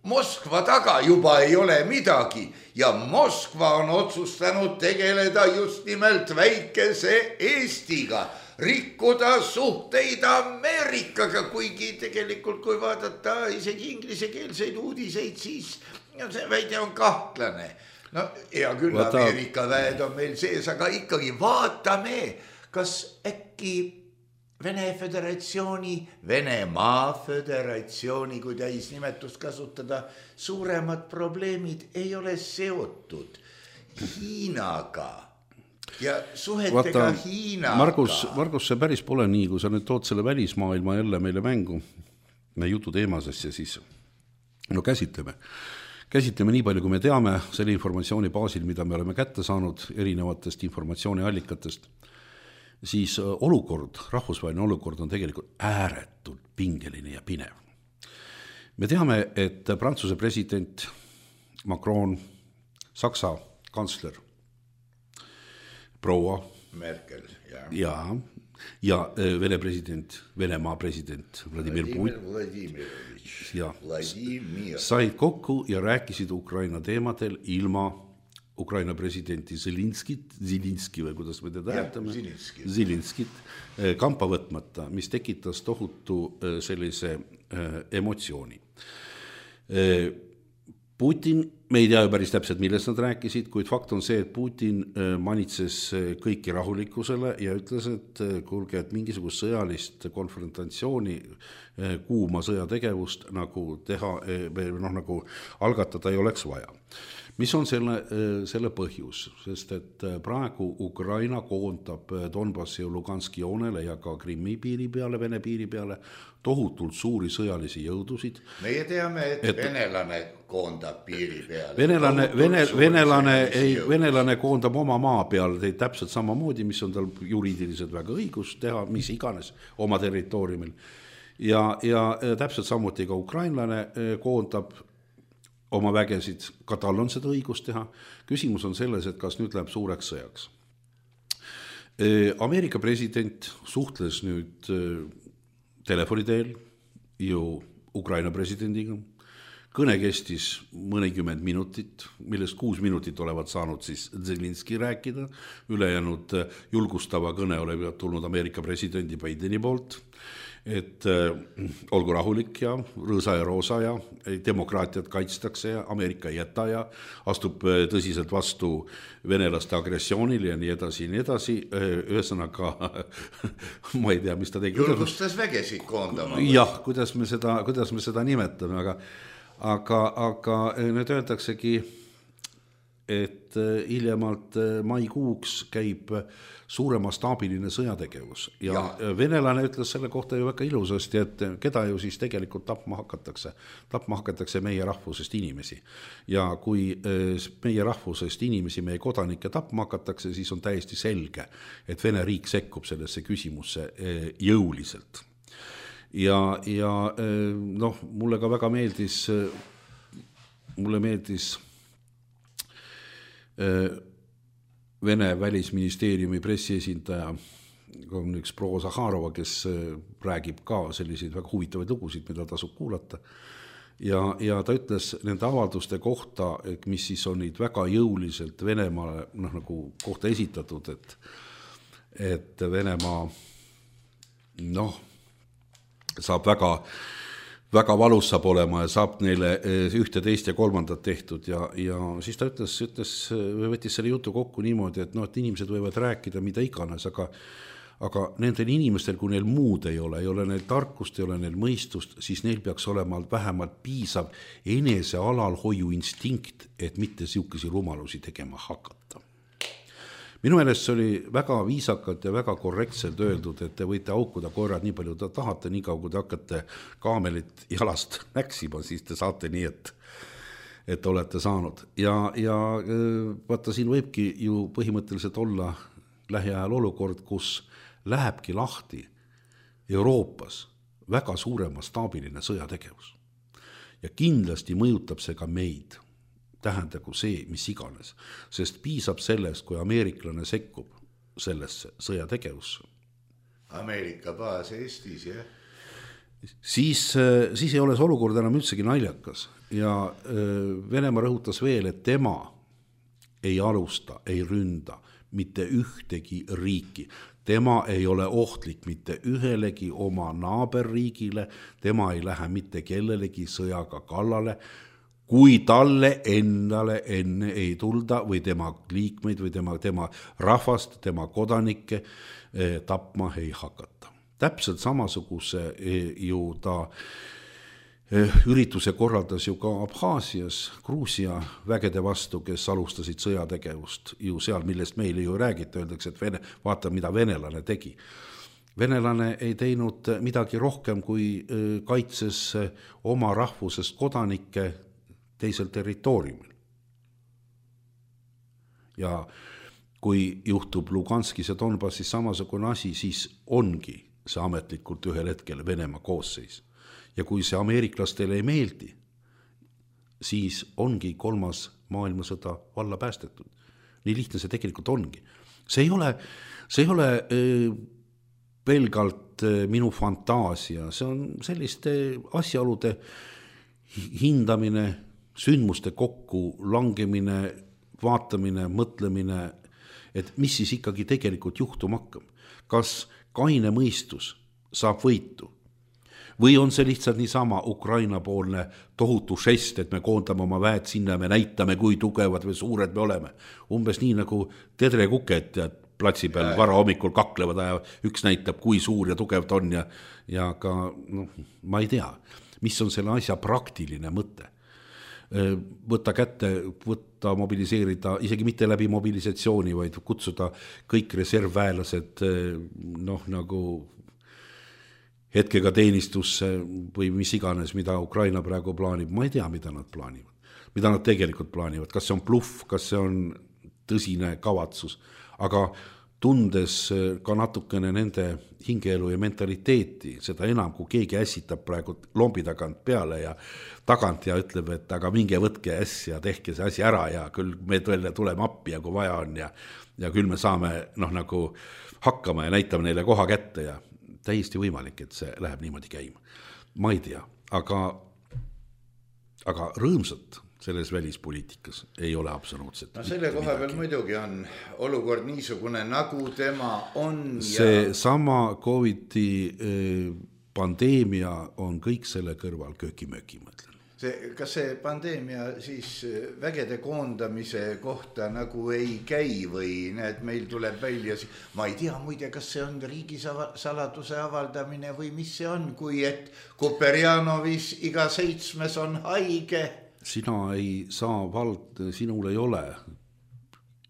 Moskva taga juba ei ole midagi ja Moskva on otsustanud tegeleda just nimelt väikese Eestiga, rikkuda suhteid Ameerikaga, kuigi tegelikult kui vaadata isegi inglisekeelseid uudiseid, siis see väide on kahtlane. No hea küll, Ameerika väed on meil sees, aga ikkagi vaatame, kas äkki Vene Föderatsiooni, Venemaa Föderatsiooni, kui täisnimetust kasutada, suuremad probleemid ei ole seotud Hiinaga ja suhetega Hiinaga. Margus, see päris pole nii, kui sa nüüd tood selle välismaailma jälle meile mängu jutu teemasest ja siis käsitleme nii palju, kui me teame selle informatsiooni baasil, mida me oleme kätte saanud erinevatest informatsiooniallikatest, siis rahvusvaheline olukord on tegelikult ääretult pingeline ja pinev. Me teame, et Prantsuse president Macron, Saksa kantsler proua Merkel ja Venemaa president Vladimir said kokku ja rääkisid Ukraina teemadel ilma Ukraina presidenti Zelinski või kuidas me teda häätame, Zelinskit kampa võtmata, mis tekitas tohutu sellise emotsiooni. Putin, me ei tea ju päris täpselt, millest nad rääkisid, kuid fakt on see, et Putin manitses kõiki rahulikkusele ja ütles, et kuulge, et mingisugust sõjalist konfrontatsiooni, kuuma sõjategevust nagu teha, nagu algatada ei oleks vaja. Mis on selle põhjus, sest et praegu Ukraina koondab Donbassi ja Luganski joonele ja ka Krimmi piiri peale, Vene piiri peale tohutult suuri sõjalisi jõudusid. Meie teame, et venelane koondab piiri peale. Venelane koondab oma maa peal täpselt samamoodi, mis on tal juriidiliselt väga õigus teha, mis iganes oma territooriumil. Ja täpselt samuti ka ukrainlane koondab oma vägesid, ka tal on seda õigust teha. Küsimus on selles, et kas nüüd läheb suureks sõjaks. Ameerika president suhtles nüüd telefoni teel ju Ukraina presidendiga. Kõne kestis mõnikümmend minutit, millest 6 minutit olevat saanud siis Zelinski rääkida. Ülejäänud julgustava kõne olevat tulnud Ameerika presidendi Bideni poolt. Et olgu rahulik ja rõõsa ja roosa ja demokraatiat kaitstakse ja Ameerika ei jäta ja astub tõsiselt vastu venelaste agressioonile ja nii edasi. Ühesõnaga, ma ei tea, mis ta tegi. Julgustas vägesid koondama. Jah, kuidas me seda nimetame, aga nüüd öeldaksegi, et hiljemalt maikuuks käib suuremastaabiline sõjategevus ja venelane ütles selle kohta ju väga ilusasti, et keda ju siis tegelikult tapma hakatakse meie rahvusest inimesi ja kui meie rahvusest inimesi, meie kodanikke tapma hakatakse, siis on täiesti selge, et Vene riik sekkub sellesse küsimusse jõuliselt ja mulle ka väga meeldis Vene välisministeeriumi pressiesindaja on üks proua Zahharova, kes räägib ka selliseid väga huvitavaid lugusid, mida tasub kuulata. Ja ta ütles nende avalduste kohta, mis siis on neid väga jõuliselt Venemaale nagu kohta esitatud, et Venemaa saab väga valus saab olema ja saab neile ühte, teist ja kolmandat tehtud ja siis ta võttis selle jutu kokku niimoodi, et et inimesed võivad rääkida mida iganes, aga nendel inimestel, kui neil muud ei ole neil tarkust, ei ole neil mõistust, siis neil peaks olema vähemalt piisav enese alalhoiu instinkt, et mitte siukesi rumalusi tegema hakata. Minu meelest see oli väga viisakalt ja väga korrektselt öeldud, et te võite aukuda koerad nii palju tahate, nii kaua kui te hakkate kaamelit jalast näksima, siis te saate nii, et olete saanud. Ja vaata, siin võibki ju põhimõtteliselt olla lähiajal olukord, kus lähebki lahti Euroopas väga suuremastaabiline sõjategevus. Ja kindlasti mõjutab see ka meid. Tähendagu see, mis iganes, sest piisab sellest, kui ameeriklane sekkub sellesse sõjategevusse. Ameerika baas Eestis, jah? Siis ei ole see olukord enam üldsegi naljakas ja Venemaa rõhutas veel, et tema ei alusta, ei ründa mitte ühtegi riiki. Tema ei ole ohtlik mitte ühelegi oma naaberriigile, tema ei lähe mitte kellelegi sõjaga kallale, kui talle endale enne ei tulda või tema liikmeid või tema rahvast, tema kodanikke tapma ei hakata. täpselt samasuguse ju ta ürituse korraldas ju ka Abhaasias Gruusia vägede vastu, kes alustasid sõjategevust ju seal, millest meile ju räägiti, öeldakse, et vaata, mida venelane tegi. Venelane ei teinud midagi rohkem, kui kaitses oma rahvusest kodanikke teisel territooriumil. Ja kui juhtub Luganskis ja Donbassis samasugune asi, siis ongi see ametlikult ühel hetkel Venemaa koosseis. Ja kui see ameeriklastele ei meeldi, siis ongi 3. maailmasõda valla päästetud. Nii lihtne see tegelikult ongi. See ei ole pelgalt minu fantaasia, see on selliste asjaolude hindamine, sündmuste kokku langemine, vaatamine, mõtlemine, et mis siis ikkagi tegelikult juhtuma hakkab. Kas kaine mõistus saab võitu? Või on see lihtsalt niisama Ukraina poolne tohutu žest, et me koondame oma väed sinna ja me näitame, kui tugevad või suured me oleme. Umbes nii nagu tedrekuked platsi peal vara hommikul kaklevad ja üks näitab, kui suur ja tugev ta on ja ka, ma ei tea, mis on selle asja praktiline mõte. Võtta kätte, mobiliseerida, isegi mitte läbi mobilisatsiooni, vaid kutsuda kõik reservväelased nagu hetkega teenistusse või mis iganes, mida Ukraina praegu plaanib. Ma ei tea, mida nad plaanivad. Mida nad tegelikult plaanivad. Kas see on bluff, kas see on tõsine kavatsus. Aga tundes ka natukene nende hingeelu ja mentaliteeti, seda enam, kui keegi ässitab praegu lombi tagant peale ja tagant ja ütleb, et aga minge võtke äss ja tehke see asi ära ja küll me tuleme appi ja kui vaja on ja küll me saame nagu hakkama ja näitame neile koha kätte ja täiesti võimalik, et see läheb niimoodi käima. Ma ei tea, aga rõõmsat selles välispoliitikas ei ole absoluutselt. No selle koha peal muidugi on olukord niisugune, nagu tema on. See sama COVID-i pandeemia on kõik selle kõrval kööki-mööki, mõtlen. Kas see pandeemia siis vägede koondamise kohta nagu ei käi või need meil tuleb välja, ma ei tea muide, kas see on riigisaladuse avaldamine või mis see on, kui et Koperjanovis iga 7. on haige. Sina ei saa sinul ei ole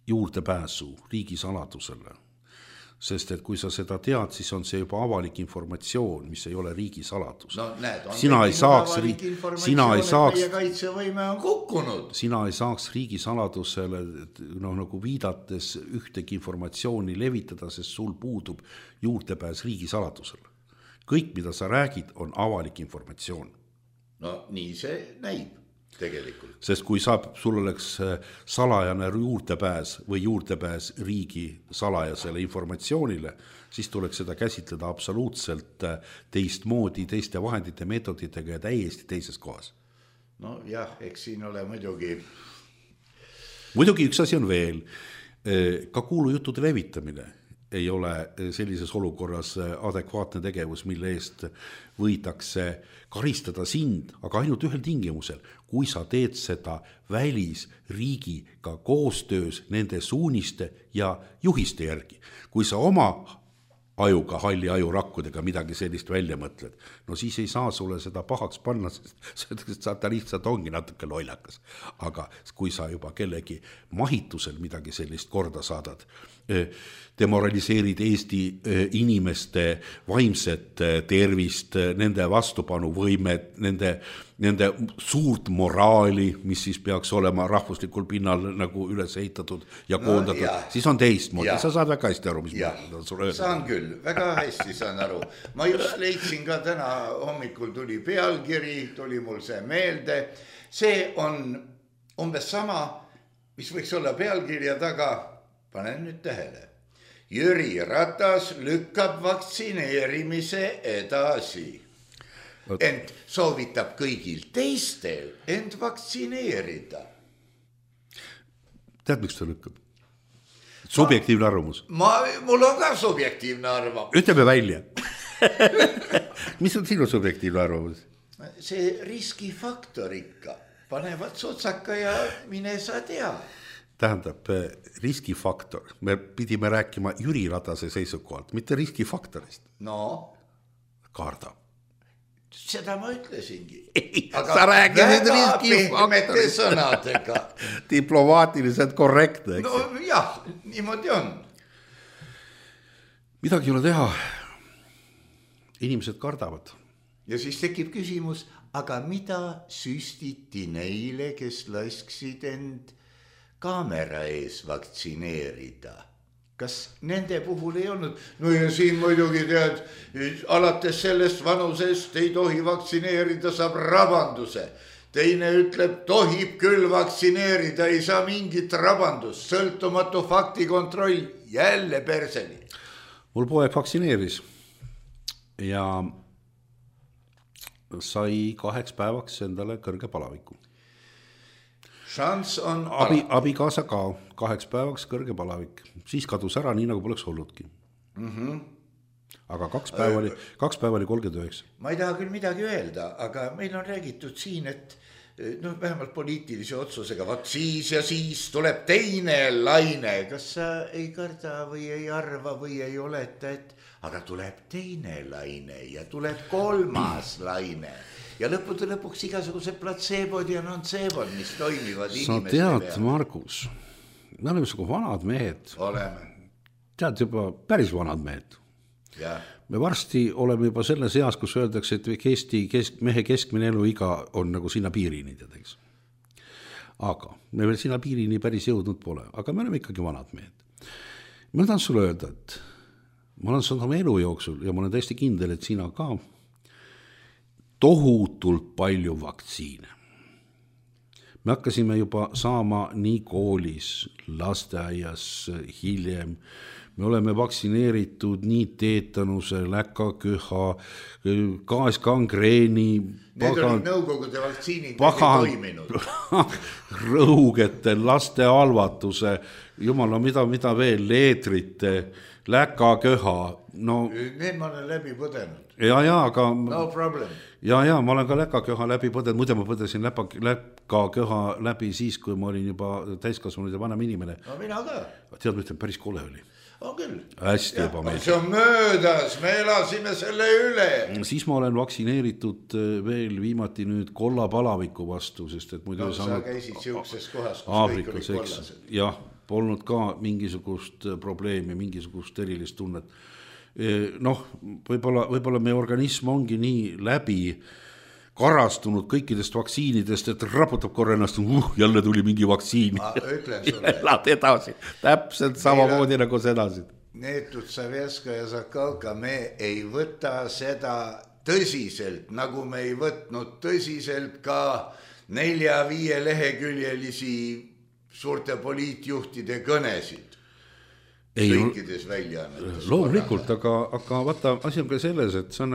juurdepääsu riigisaladusele. Sest et kui sa seda tead, siis on see juba avalik informatsioon, mis ei ole riigisaladus. No näed, on sina ei saaks, meie kaitsevõime on kukkunud. Sina ei saaks riigisaladusele nagu viidates ühtegi informatsiooni levitada, sest sul puudub juurdepääs riigisaladusele. Kõik, mida sa räägid, on avalik informatsioon. No nii see näib. Tegelikult. Sest kui sul oleks salajane juurdepääs või juurdepääs riigi salajasele informatsioonile, siis tuleks seda käsitleda absoluutselt teistmoodi, teiste vahendite, meetoditega ja täiesti teises kohas. No jah, eks siin ole muidugi. Muidugi üks asi on veel, ka kuulujuttude levitamine ei ole sellises olukorras adekvaatne tegevus, mille eest võidakse karistada sind, aga ainult ühel tingimusel, kui sa teed seda välisriigiga koostöös nende suuniste ja juhiste järgi. Kui sa oma ajuga, halli ajurakkudega midagi sellist välja mõtled, no siis ei saa sulle seda pahaks panna, sest ta lihtsalt ongi natuke lollakas. Aga kui sa juba kellegi mahitusel midagi sellist korda saadad, demoraliseerid Eesti inimeste vaimset tervist, nende vastupanuvõimet, nende suurt moraali, mis siis peaks olema rahvuslikul pinnal nagu üles ehitatud ja koondatud, siis on teistmoodi. Sa saad väga hästi aru, mis ma sulle öelda. Saan küll, väga hästi saan aru. Ma just leidsin ka täna hommikul tuli pealkiri, tuli mul see meelde. See on umbes sama, mis võiks olla pealkirja taga. Panen nüüd tähele. Jüri Ratas lükkab vaktsineerimise edasi. Ent soovitab kõigil teistel end vaktsineerida. Tead, miks ta lükkab? Subjektiivne arvamus. Mul on ka subjektiivne arvamus. Ütleme välja. Mis on sinu subjektiivne arvamus? See riskifaktor ikka. Panevad sotsaka ja mine sa tea. Tähendab, riskifaktor. Me pidime rääkima Jüri Ratase seisukohalt, mitte riskifaktorist. No. kardab. Seda ma ütlesingi. Sa räägid nüüd riskifaktori sõnadega. Diplomaatiliselt korrektne. No jah, niimoodi on. Midagi ei ole teha. Inimesed kardavad. Ja siis tekib küsimus, aga mida süstiti neile, kes lasksid end kaamera ees vaktsineerida? Kas nende puhul ei olnud? No ja siin muidugi tead, alates sellest vanusest ei tohi vaktsineerida, saab rabanduse. Teine ütleb, tohib küll vaktsineerida, ei saa mingit rabandust, sõltumatu faktikontroll, jälle perseni. Mul poeg vaktsineeris ja sai 2 päevaks endale kõrge palaviku. Šans on abikaasa ka 2 päevaks kõrge palavik. Siis kadus ära, nii nagu poleks olludki. Aga 2 päeva oli 39. Ma ei taha küll midagi öelda, aga meil on räägitud siin, et vähemalt poliitilise otsusega, siis ja siis tuleb teine laine. Kas sa ei karda või ei arva või ei oleta, et aga tuleb teine laine ja tuleb 3. laine. Ja lõpuks igasugused platseebod ja nonseebod, mis toimivad inimeste peal. Sa tead, Margus, me oleme sugu vanad mehed. Oleme. Tead juba päris vanad mehed. Ja. Me varsti oleme juba selles eas, kus öeldakse, et mehe keskmine eluiga on nagu sinna piirini, teadeks. Aga me veel sinna piirini päris jõudnud pole, aga me oleme ikkagi vanad mehed. Ma tahan sulle öelda, et ma olen saanud oma elu jooksul ja ma olen täiesti kindel, et sina ka tohutult palju vaktsiine. Me hakkasime juba saama nii koolis, lasteaias, hiljem. Me oleme vaktsineeritud nii teetanuse, läkaköha, gaasgangreeni. Need olid nõukogude vaktsiinid, need ei toiminud. Rõugete, laste halvatuse, jumala, mida veel, leetrite, läkaköha. No, need ma olen läbi põdenud. Ja, aga no problem. Ja, ma olen ka läkaköha läbi põdenud, muide ma põdesin läkaköha läbi siis, kui ma olin juba täiskasvanud ja vanem inimene. No mina ka. Tead, ma ütlen, päris kole oli. On küll. Hästi ebameeldiv. See on möödas, me elasime selle üle. Siis ma olen vaktsineeritud veel viimati nüüd kollapalaviku vastu, sest et muidu sa käisid siukses kohas, kus Aafrikas, kõik oli kollased. Jah, polnud ka mingisugust probleemi, mingisugust erilist tunnet. Noh, võib-olla meie organism ongi nii läbi karastunud kõikidest vaktsiinidest, et raputab korra ennast, jälle tuli mingi vaktsiin. Ma ütlen sulle. Elad edasi, täpselt samamoodi nagu sedasi. Neetud Savjeska ja Zakalka, me ei võta seda tõsiselt, nagu me ei võtnud tõsiselt ka 4-5 leheküljelisi suurte poliitjuhtide kõnesid. Kõikides väljaannetes. Loomulikult, aga vaata, asi on ka selles, et see on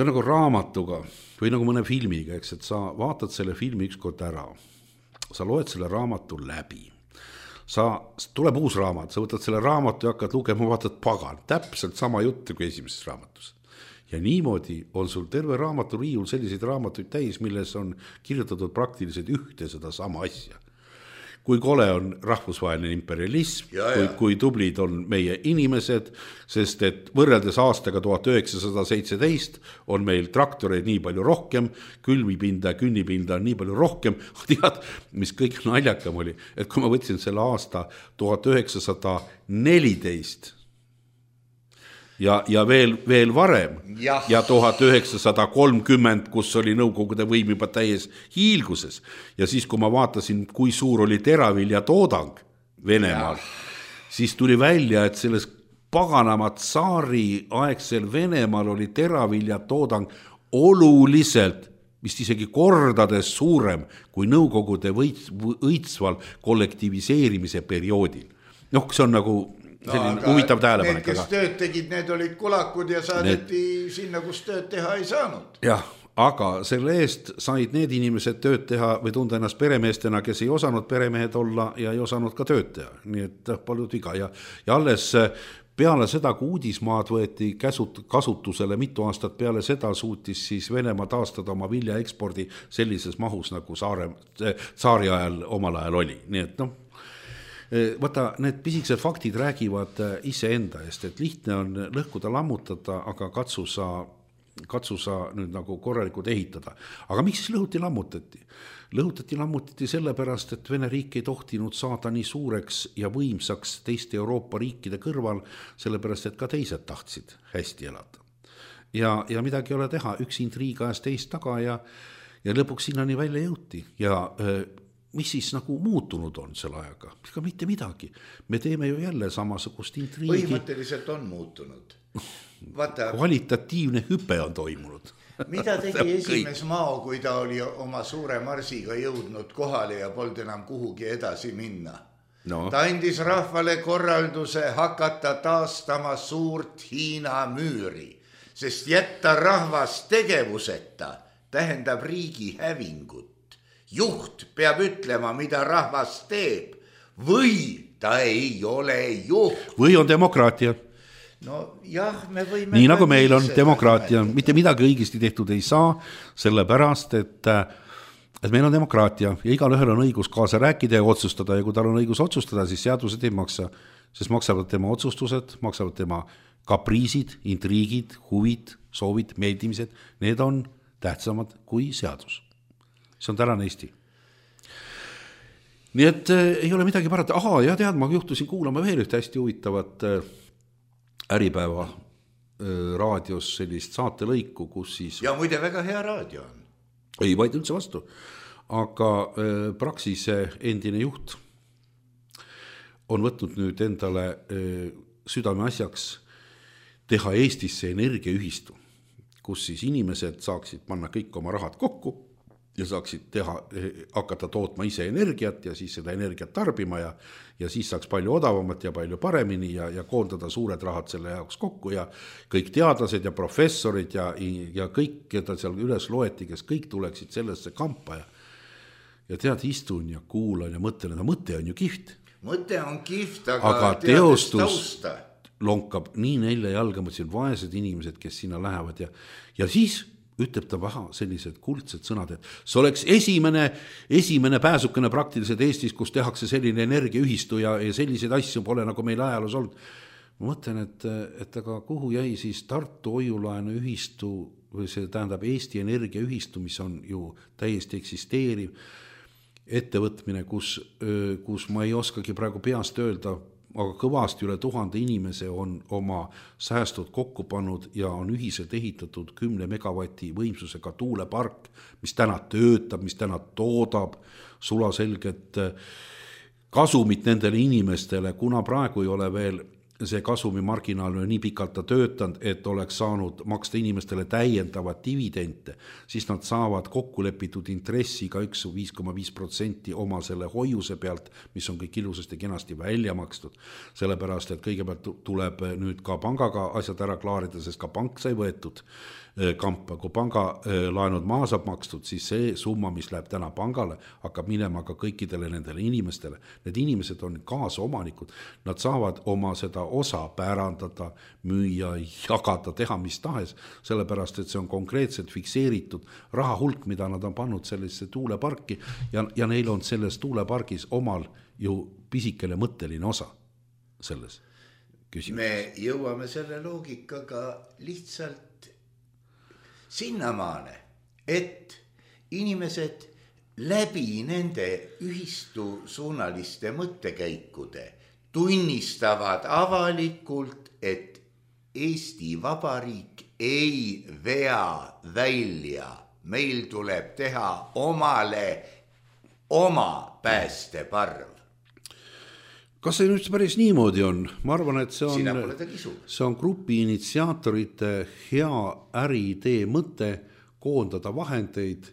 nagu raamatuga või nagu mõne filmiga, eks, et sa vaatad selle filmi ükskord ära, sa loed selle raamatu läbi, tuleb uus raamat, sa võtad selle raamatu ja hakkad lugema, vaatad pagan, täpselt sama jutt kui esimeses raamatus. Ja niimoodi on sul terve raamaturiiul selliseid raamatuid täis, milles on kirjutatud praktiliselt ühte seda sama asja. Kui kole on rahvusvaheline imperialism, kui tublid on meie inimesed, sest et võrreldes aastaga 1917 on meil traktoreid nii palju rohkem, külvipinda, künnipinda on nii palju rohkem. Tead, mis kõik naljakam oli, et kui ma võtsin selle aasta 1914 ja veel varem ja 1930, kus oli nõukogude võim juba täies hiilguses. Ja siis, kui ma vaatasin, kui suur oli teravilja toodang Venemaal, siis tuli välja, et selles paganamat saari aegsel Venemaal oli teravilja toodang oluliselt, vist isegi kordades suurem kui nõukogude õitsval kollektiviseerimise perioodil. Noh, see on nagu selline huvitav tähelepanek. Need, kes tööd tegid, need olid kulakud ja saadeti sinna, kus tööd teha ei saanud. Jah, aga selle eest said need inimesed tööd teha või tunda ennast peremeestena, kes ei osanud peremehed olla ja ei osanud ka tööd teha. Nii et paljud viga. Ja alles peale seda, kui uudismaad võeti kasutusele mitu aastat peale seda, suutis siis Venemaa taastada oma vilja ekspordi sellises mahus, nagu saari ajal omal ajal oli. Nii et vaata, need pisikesed faktid räägivad iseenda eest, et lihtne on lõhkuda, lammutada, aga katsu sa nüüd nagu korralikult ehitada. Aga miks siis lammutati? Lammutati sellepärast, et Vene riik ei tohtinud saada nii suureks ja võimsaks teiste Euroopa riikide kõrval, sellepärast, et ka teised tahtsid hästi elada. Ja midagi ei ole teha, üks intriig ajas teist taga ja lõpuks sinnani välja jõuti ja mis siis nagu muutunud on selle ajaga? Ega mitte midagi. Me teeme ju jälle samasugust intriigi. Põhimõtteliselt on muutunud. Vaata, kvalitatiivne hüpe on toimunud. Mida tegi esimees Mao, kui ta oli oma suure marsiga jõudnud kohale ja polnud enam kuhugi edasi minna? No. Ta andis rahvale korralduse hakata taastama suurt Hiina müüri, sest jätta rahvas tegevuseta tähendab riigi hävingut. Juht peab ütlema, mida rahvas teeb, või ta ei ole juht. Või on demokraatia. No jah, me võime... Nii nagu meil on demokraatia, mitte midagi õigesti tehtud ei saa, sellepärast, et meil on demokraatia ja igal ühel on õigus kaasa rääkida ja otsustada ja kui tal on õigus otsustada, siis seadused ei maksa, sest maksavad tema otsustused, maksavad tema kapriisid, intriigid, huvid, soovid, meeldimised, need on tähtsamad kui seadus. See on tänane Eesti. Nii et ei ole midagi parata. Ja tead, ma juhtusin kuulama veel ühte hästi huvitavat Äripäeva raadios sellist saatelõiku, kus siis... Ja muide väga hea raadio on. Ei vaid üldse vastu. Aga Praxise endine juht on võtnud nüüd endale südame asjaks teha Eestisse energiaühistu, kus siis inimesed saaksid panna kõik oma rahad kokku ja saaksid hakata tootma ise energiat ja siis seda energiat tarbima ja siis saaks palju odavamat ja palju paremini ja koondada suured rahad selle jaoks kokku ja kõik teadlased ja professorid ja kõik, keda seal üles loeti, kes kõik tuleksid sellesse kampa ja tead, istun ja kuulan ja mõtlen, et mõte on ju kihvt. Mõte on kihvt, aga teostus lonkab nii nelja jalga, mõtlesin vaesed inimesed, kes sinna lähevad ja siis ütleb ta sellised kuldsed sõnad, et see oleks esimene pääsukene praktiliselt Eestis, kus tehakse selline energiaühistu ja selliseid asju pole nagu meil ajaloos olnud. Ma mõtlen, et aga kuhu jäi siis Tartu hoiulaenu ühistu või see tähendab Eesti energiaühistu, mis on ju täiesti eksisteeriv ettevõtmine, kus ma ei oskagi praegu peast öelda, aga kõvasti üle 1000 inimese on oma säästud kokku pannud ja on ühiselt ehitatud 10 megavati võimsusega tuulepark, mis täna töötab, mis täna toodab sulaselget kasumit nendele inimestele, kuna praegu ei ole veel see kasumi marginaal on nii pikalt ta töötanud, et oleks saanud maksta inimestele täiendavat dividente, siis nad saavad kokkulepitud intressi ka 5,5% oma selle hoiuse pealt, mis on kõik ilusasti kenasti välja makstud. Sellepärast, et kõigepealt tuleb nüüd ka pangaga asjad ära klaarida, sest ka pank sai võetud kampa. Kui panga laenud maa saab makstud, siis see summa, mis läheb täna pangale, hakkab minema ka kõikidele nendele inimestele. Need inimesed on kaasomanikud. Nad saavad oma seda osa pärandada, müüa, jagada, teha mis tahes, sellepärast, et see on konkreetselt fikseeritud raha hulk, mida nad on pannud sellesse tuuleparki ja neil on selles tuulepargis omal ju pisikene mõtteline osa selles küsimuses. Me jõuame selle loogikaga lihtsalt sinnamaane, et inimesed läbi nende ühistu suunaliste mõttekäikude tunnistavad avalikult, et Eesti Vabariik ei vea välja. Meil tuleb teha omale oma päästeparv. Kas see nüüd päris niimoodi on? Ma arvan, et see on grupi initsiaatorite hea äriidee mõte koondada vahendeid,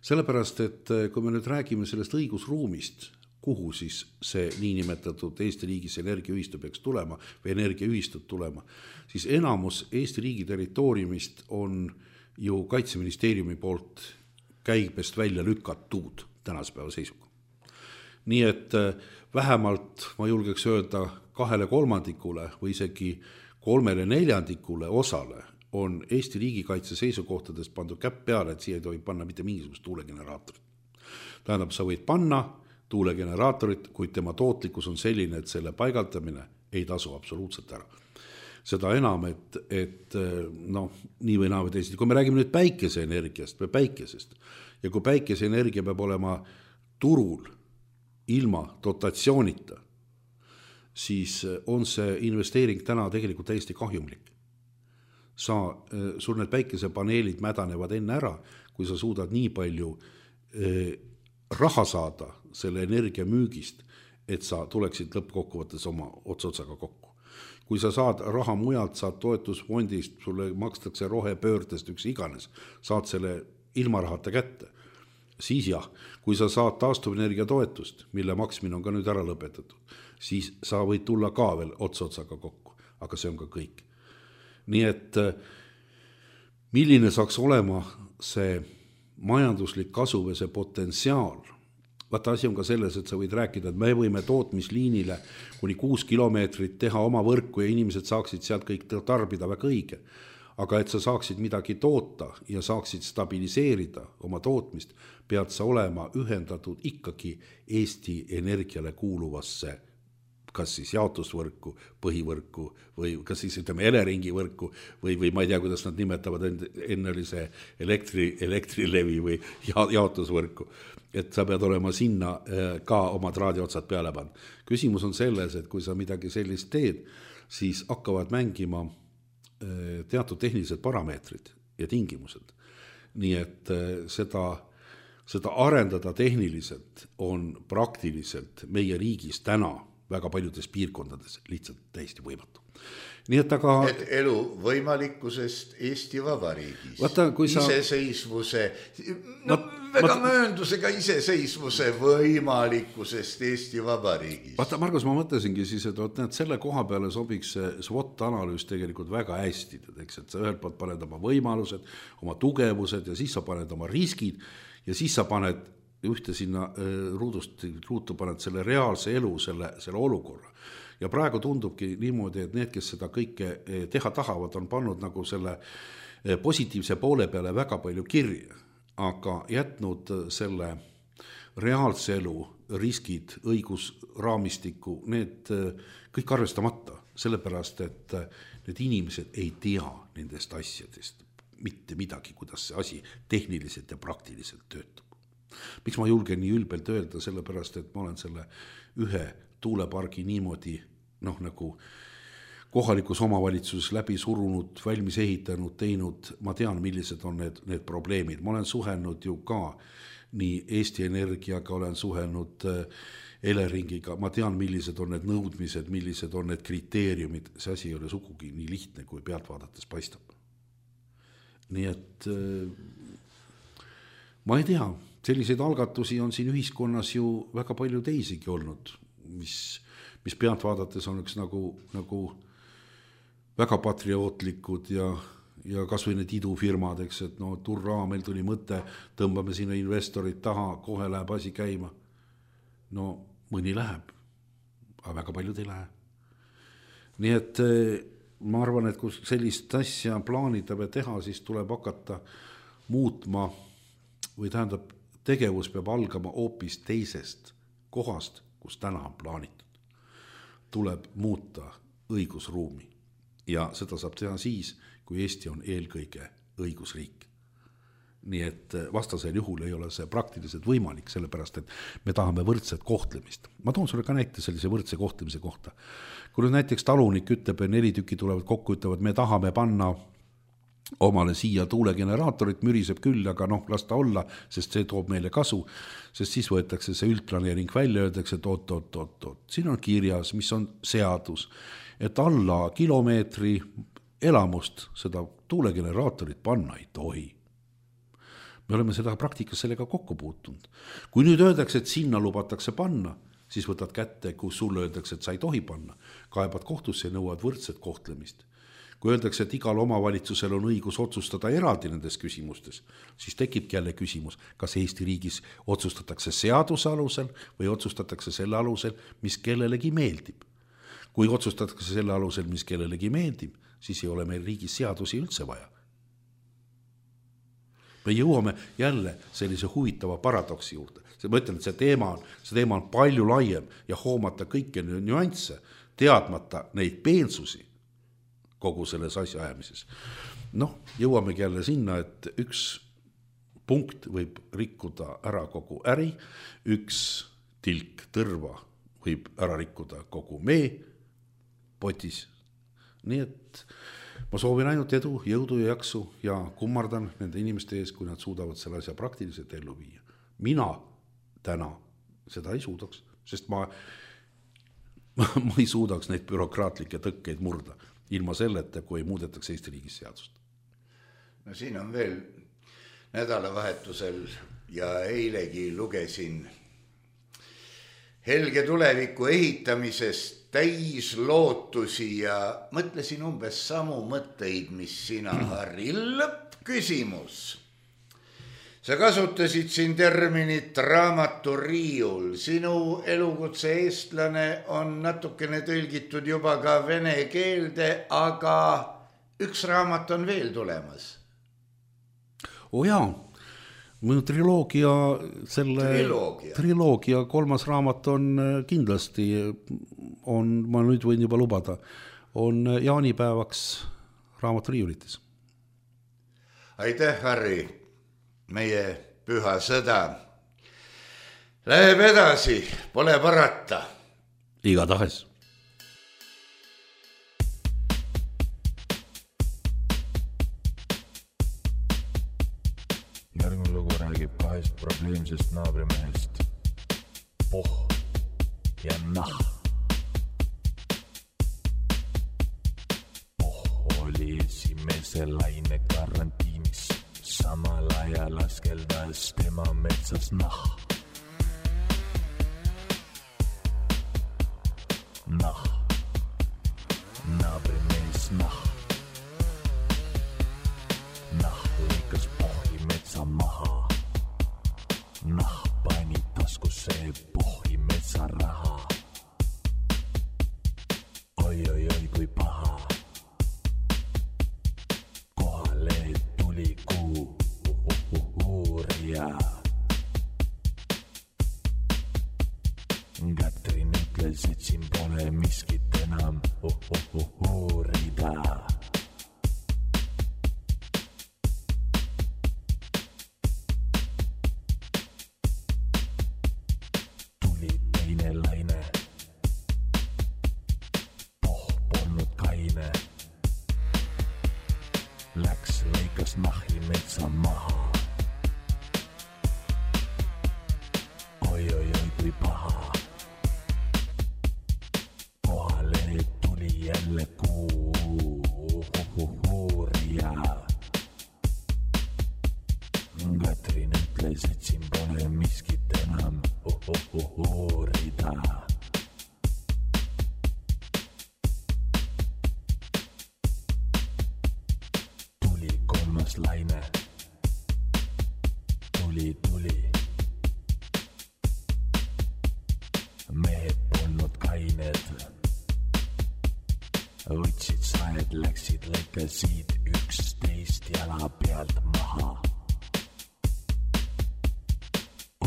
sellepärast, et kui me nüüd räägime sellest õigusruumist, kuhu siis see niinimetatud Eesti riigis energiaühistu peaks tulema või energiaühistud tulema, siis enamus Eesti riigi territooriumist on ju Kaitseministeeriumi poolt käibest välja lükatud tänase päeva seisuga. Nii et vähemalt ma julgeks öelda 2/3 või isegi 3/4 osale on Eesti riigikaitse seisukohtadest pandud käpp peale, et siia ei tohi panna mitte mingisugust tuulegeneraatorit. Tähendab, sa võid panna tuulegeneraatorit, kuid tema tootlikkus on selline, et selle paigaldamine ei tasu absoluutselt ära. Seda enam, et noh, nii või naa või teised. Kui me räägime nüüd päikeseenergiast või päikesest ja kui päikeseenergia peab olema turul ilma dotatsioonita, siis on see investeering täna tegelikult täiesti kahjumlik. Sul need päikesepaneelid mädanevad enne ära, kui sa suudad nii palju raha saada selle energia müügist, et sa tuleksid lõppkokkuvõttes oma otsotsaga kokku. Kui sa saad raha mujalt, saad toetusfondist, sulle makstakse rohepöördest üks iganes, saad selle ilma rahata kätte, siis jah, kui sa saad taastuvenergia toetust, mille maksmine on ka nüüd ära lõpetatud, siis sa võid tulla ka veel otsotsaga kokku, aga see on ka kõik. Nii et milline saaks olema see majanduslik kasu või see potentsiaal? Vaata, asi on ka selles, et sa võid rääkida, et me võime tootmisliinile kuni 6 kilomeetrit teha oma võrku ja inimesed saaksid sealt kõik tarbida väga õige. Aga et sa saaksid midagi toota ja saaksid stabiliseerida oma tootmist, pead sa olema ühendatud ikkagi Eesti Energiale kuuluvasse kas siis jaotusvõrku, põhivõrku või kas siis ütleme Eleringi võrku või ma ei tea, kuidas nad nimetavad, enne oli see elektrilevi või jaotusvõrku, et sa pead olema sinna ka oma traadiotsad peale pannud. Küsimus on selles, et kui sa midagi sellist teed, siis hakkavad mängima teatud tehnilised parameetrid ja tingimused. Nii et seda arendada tehniliselt on praktiliselt meie riigis täna väga paljudes piirkondades lihtsalt täiesti võimatu. Nii et aga... Et elu võimalikkusest Eesti Vabariigis. Vaata, kui sa... Iseseisvuse, mööndusega iseseisvuse võimalikkusest Eesti Vabariigis. Vaata, Margus, ma mõtlesingi siis, et selle koha peale sobiks see SWOT-analüüs tegelikult väga hästi. Et sa ühelt poolt paned oma võimalused, oma tugevused ja siis sa paned oma riskid ja siis sa paned ühte sinna ruutu paned selle reaalse elu, selle olukorra. Ja praegu tundubki niimoodi, et need, kes seda kõike teha tahavad, on pannud nagu selle positiivse poole peale väga palju kirja, aga jätnud selle reaalse elu, riskid, õigusraamistiku, need kõik arvestamata, sellepärast, et need inimesed ei tea nendest asjadest mitte midagi, kuidas see asi tehniliselt ja praktiliselt töötab. Miks ma julgen nii ülbelt öelda, sellepärast, et ma olen selle ühe tuulepargi niimoodi nagu kohalikus omavalitsuses läbi surunud, valmis ehitanud, teinud, ma tean, millised on need probleemid. Ma olen suhelnud ju ka nii Eesti Energiaga, olen suhelnud Eleringiga, ma tean, millised on need nõudmised, millised on need kriteeriumid, see asi ei ole sugugi nii lihtne, kui pealt vaadates paistab. Nii et ma ei tea, selliseid algatusi on siin ühiskonnas ju väga palju teisigi olnud, mis pealt vaadates on üks nagu väga patriootlikud ja kas või need idufirmad, eks, et turraa, meil tuli mõte, tõmbame sinna investorid taha, kohe läheb asi käima. No mõni läheb, aga väga paljud ei lähe. Nii et ma arvan, et kui sellist asja plaanida või teha, siis tuleb hakata muutma või tähendab, tegevus peab algama hoopis teisest kohast, kus täna on plaanitud. Tuleb muuta õigusruumi ja seda saab teha siis, kui Eesti on eelkõige õigusriik. Nii et vastasel juhul ei ole see praktiliselt võimalik, sellepärast, et me tahame võrdset kohtlemist. Ma toon sulle ka näite sellise võrdse kohtlemise kohta. Kui nüüd näiteks talunik ütleb, 4 tükki tulevad kokku, ütlevad, me tahame panna omale siia tuulegeneraatorit, müriseb küll, aga las ta olla, sest see toob meile kasu, sest siis võetakse see üldplaneering välja, öeldakse, et oot. Siin on kirjas, mis on seadus, et alla kilomeetri elamust seda tuulegeneraatorit panna ei tohi. Me oleme seda praktikas sellega kokku puutunud. Kui nüüd öeldakse, et sinna lubatakse panna, siis võtad kätte, kus sulle öeldakse, et sa ei tohi panna. Kaebad kohtusse ja nõuad võrdset kohtlemist. Kui öeldakse, et igal omavalitsusel on õigus otsustada eraldi nendes küsimustes, siis tekibki jälle küsimus, kas Eesti riigis otsustatakse seaduse alusel või otsustatakse selle alusel, mis kellelegi meeldib. Kui otsustatakse selle alusel, mis kellelegi meeldib, siis ei ole meil riigis seadusi üldse vaja. Me jõuame jälle sellise huvitava paradoksi juurde. ma ütlen, et see teema on palju laiem ja hoomata kõiki nüansse, teadmata neid peensusi kogu selles asja ajamises. Jõuamegi jälle sinna, et üks punkt võib rikkuda ära kogu äri, üks tilk tõrva võib ära rikkuda kogu mee potis. Nii et ma soovin ainult edu, jõudu ja jaksu ja kummardan nende inimeste ees, kui nad suudavad selle asja praktiliselt ellu viia. Mina täna seda ei suudaks, sest ma ei suudaks neid bürokraatlikke tõkkeid murda ilma selleta, kui ei muudetaks Eesti riigis seadust. Siin on veel nädalavahetusel ja eilegi lugesin helge tuleviku ehitamisest täis lootusi ja mõtlesin umbes samu mõtteid, mis sina, Harri. Lõppküsimus. Sa kasutasid siin terminit raamaturiiul. Sinu elukutse eestlane on natukene tõlgitud juba ka vene keelde, aga üks raamat on veel tulemas. Jaa, minu triloogia 3. raamat on kindlasti, ma nüüd võin juba lubada, on jaanipäevaks raamaturiiulitis. Aitäh, Harri, meie püha sõda läheb edasi, pole parata. Igatahes. Järgmine lugu räägib 2 probleemsest naabrimehest. Poh ja nah. Poh oli esimese laine karantiinis, samal ajal askeldas tema metsas nah. Nah, naabrimees nah. Nah lõikas pohhi metsa maha. Nah pani taskusse pohhi metsa raha. Oi, kui paha. Kohale tuli uurija. Katrin ütles, et siin pole miskit enam uurida. Tuli teine laine. Poh polnud kaine. Läks lõikas nahi metsa maha. Oi, kui paha. Kohale tuli jälle uurija. Katrin ütles, et siin pole miskit enam uurida. Tuli 3. laine. Tuli. Mehed polnud kained. Võtsid saed, läksid lõikasid 11 jala pealt maha.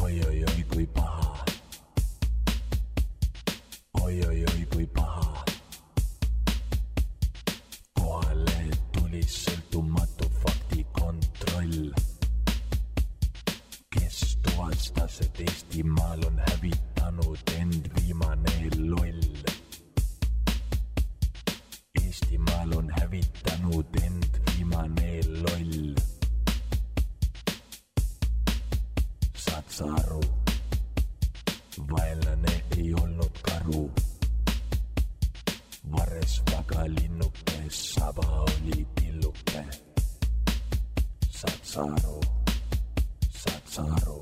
Oi, kui paha. Oi, kui paha. Kohale tuli sõltumatu faktikontroll, kes tuvastas, et Eestimaal on hävitanud end viimane loll. Eestimaal on hävitanud end viimane loll. Saad sa aru? Vaenlane ei olnud karu. Vares vaga linnuke, saba oli pilluke. Saad sa aru? Saad sa aru?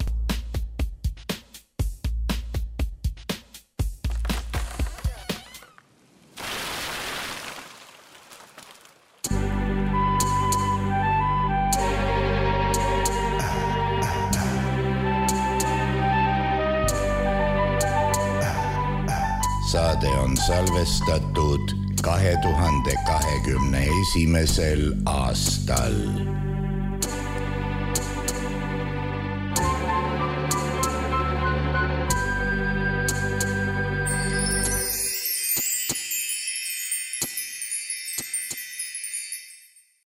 Saade on salvestatud 2021. aastal.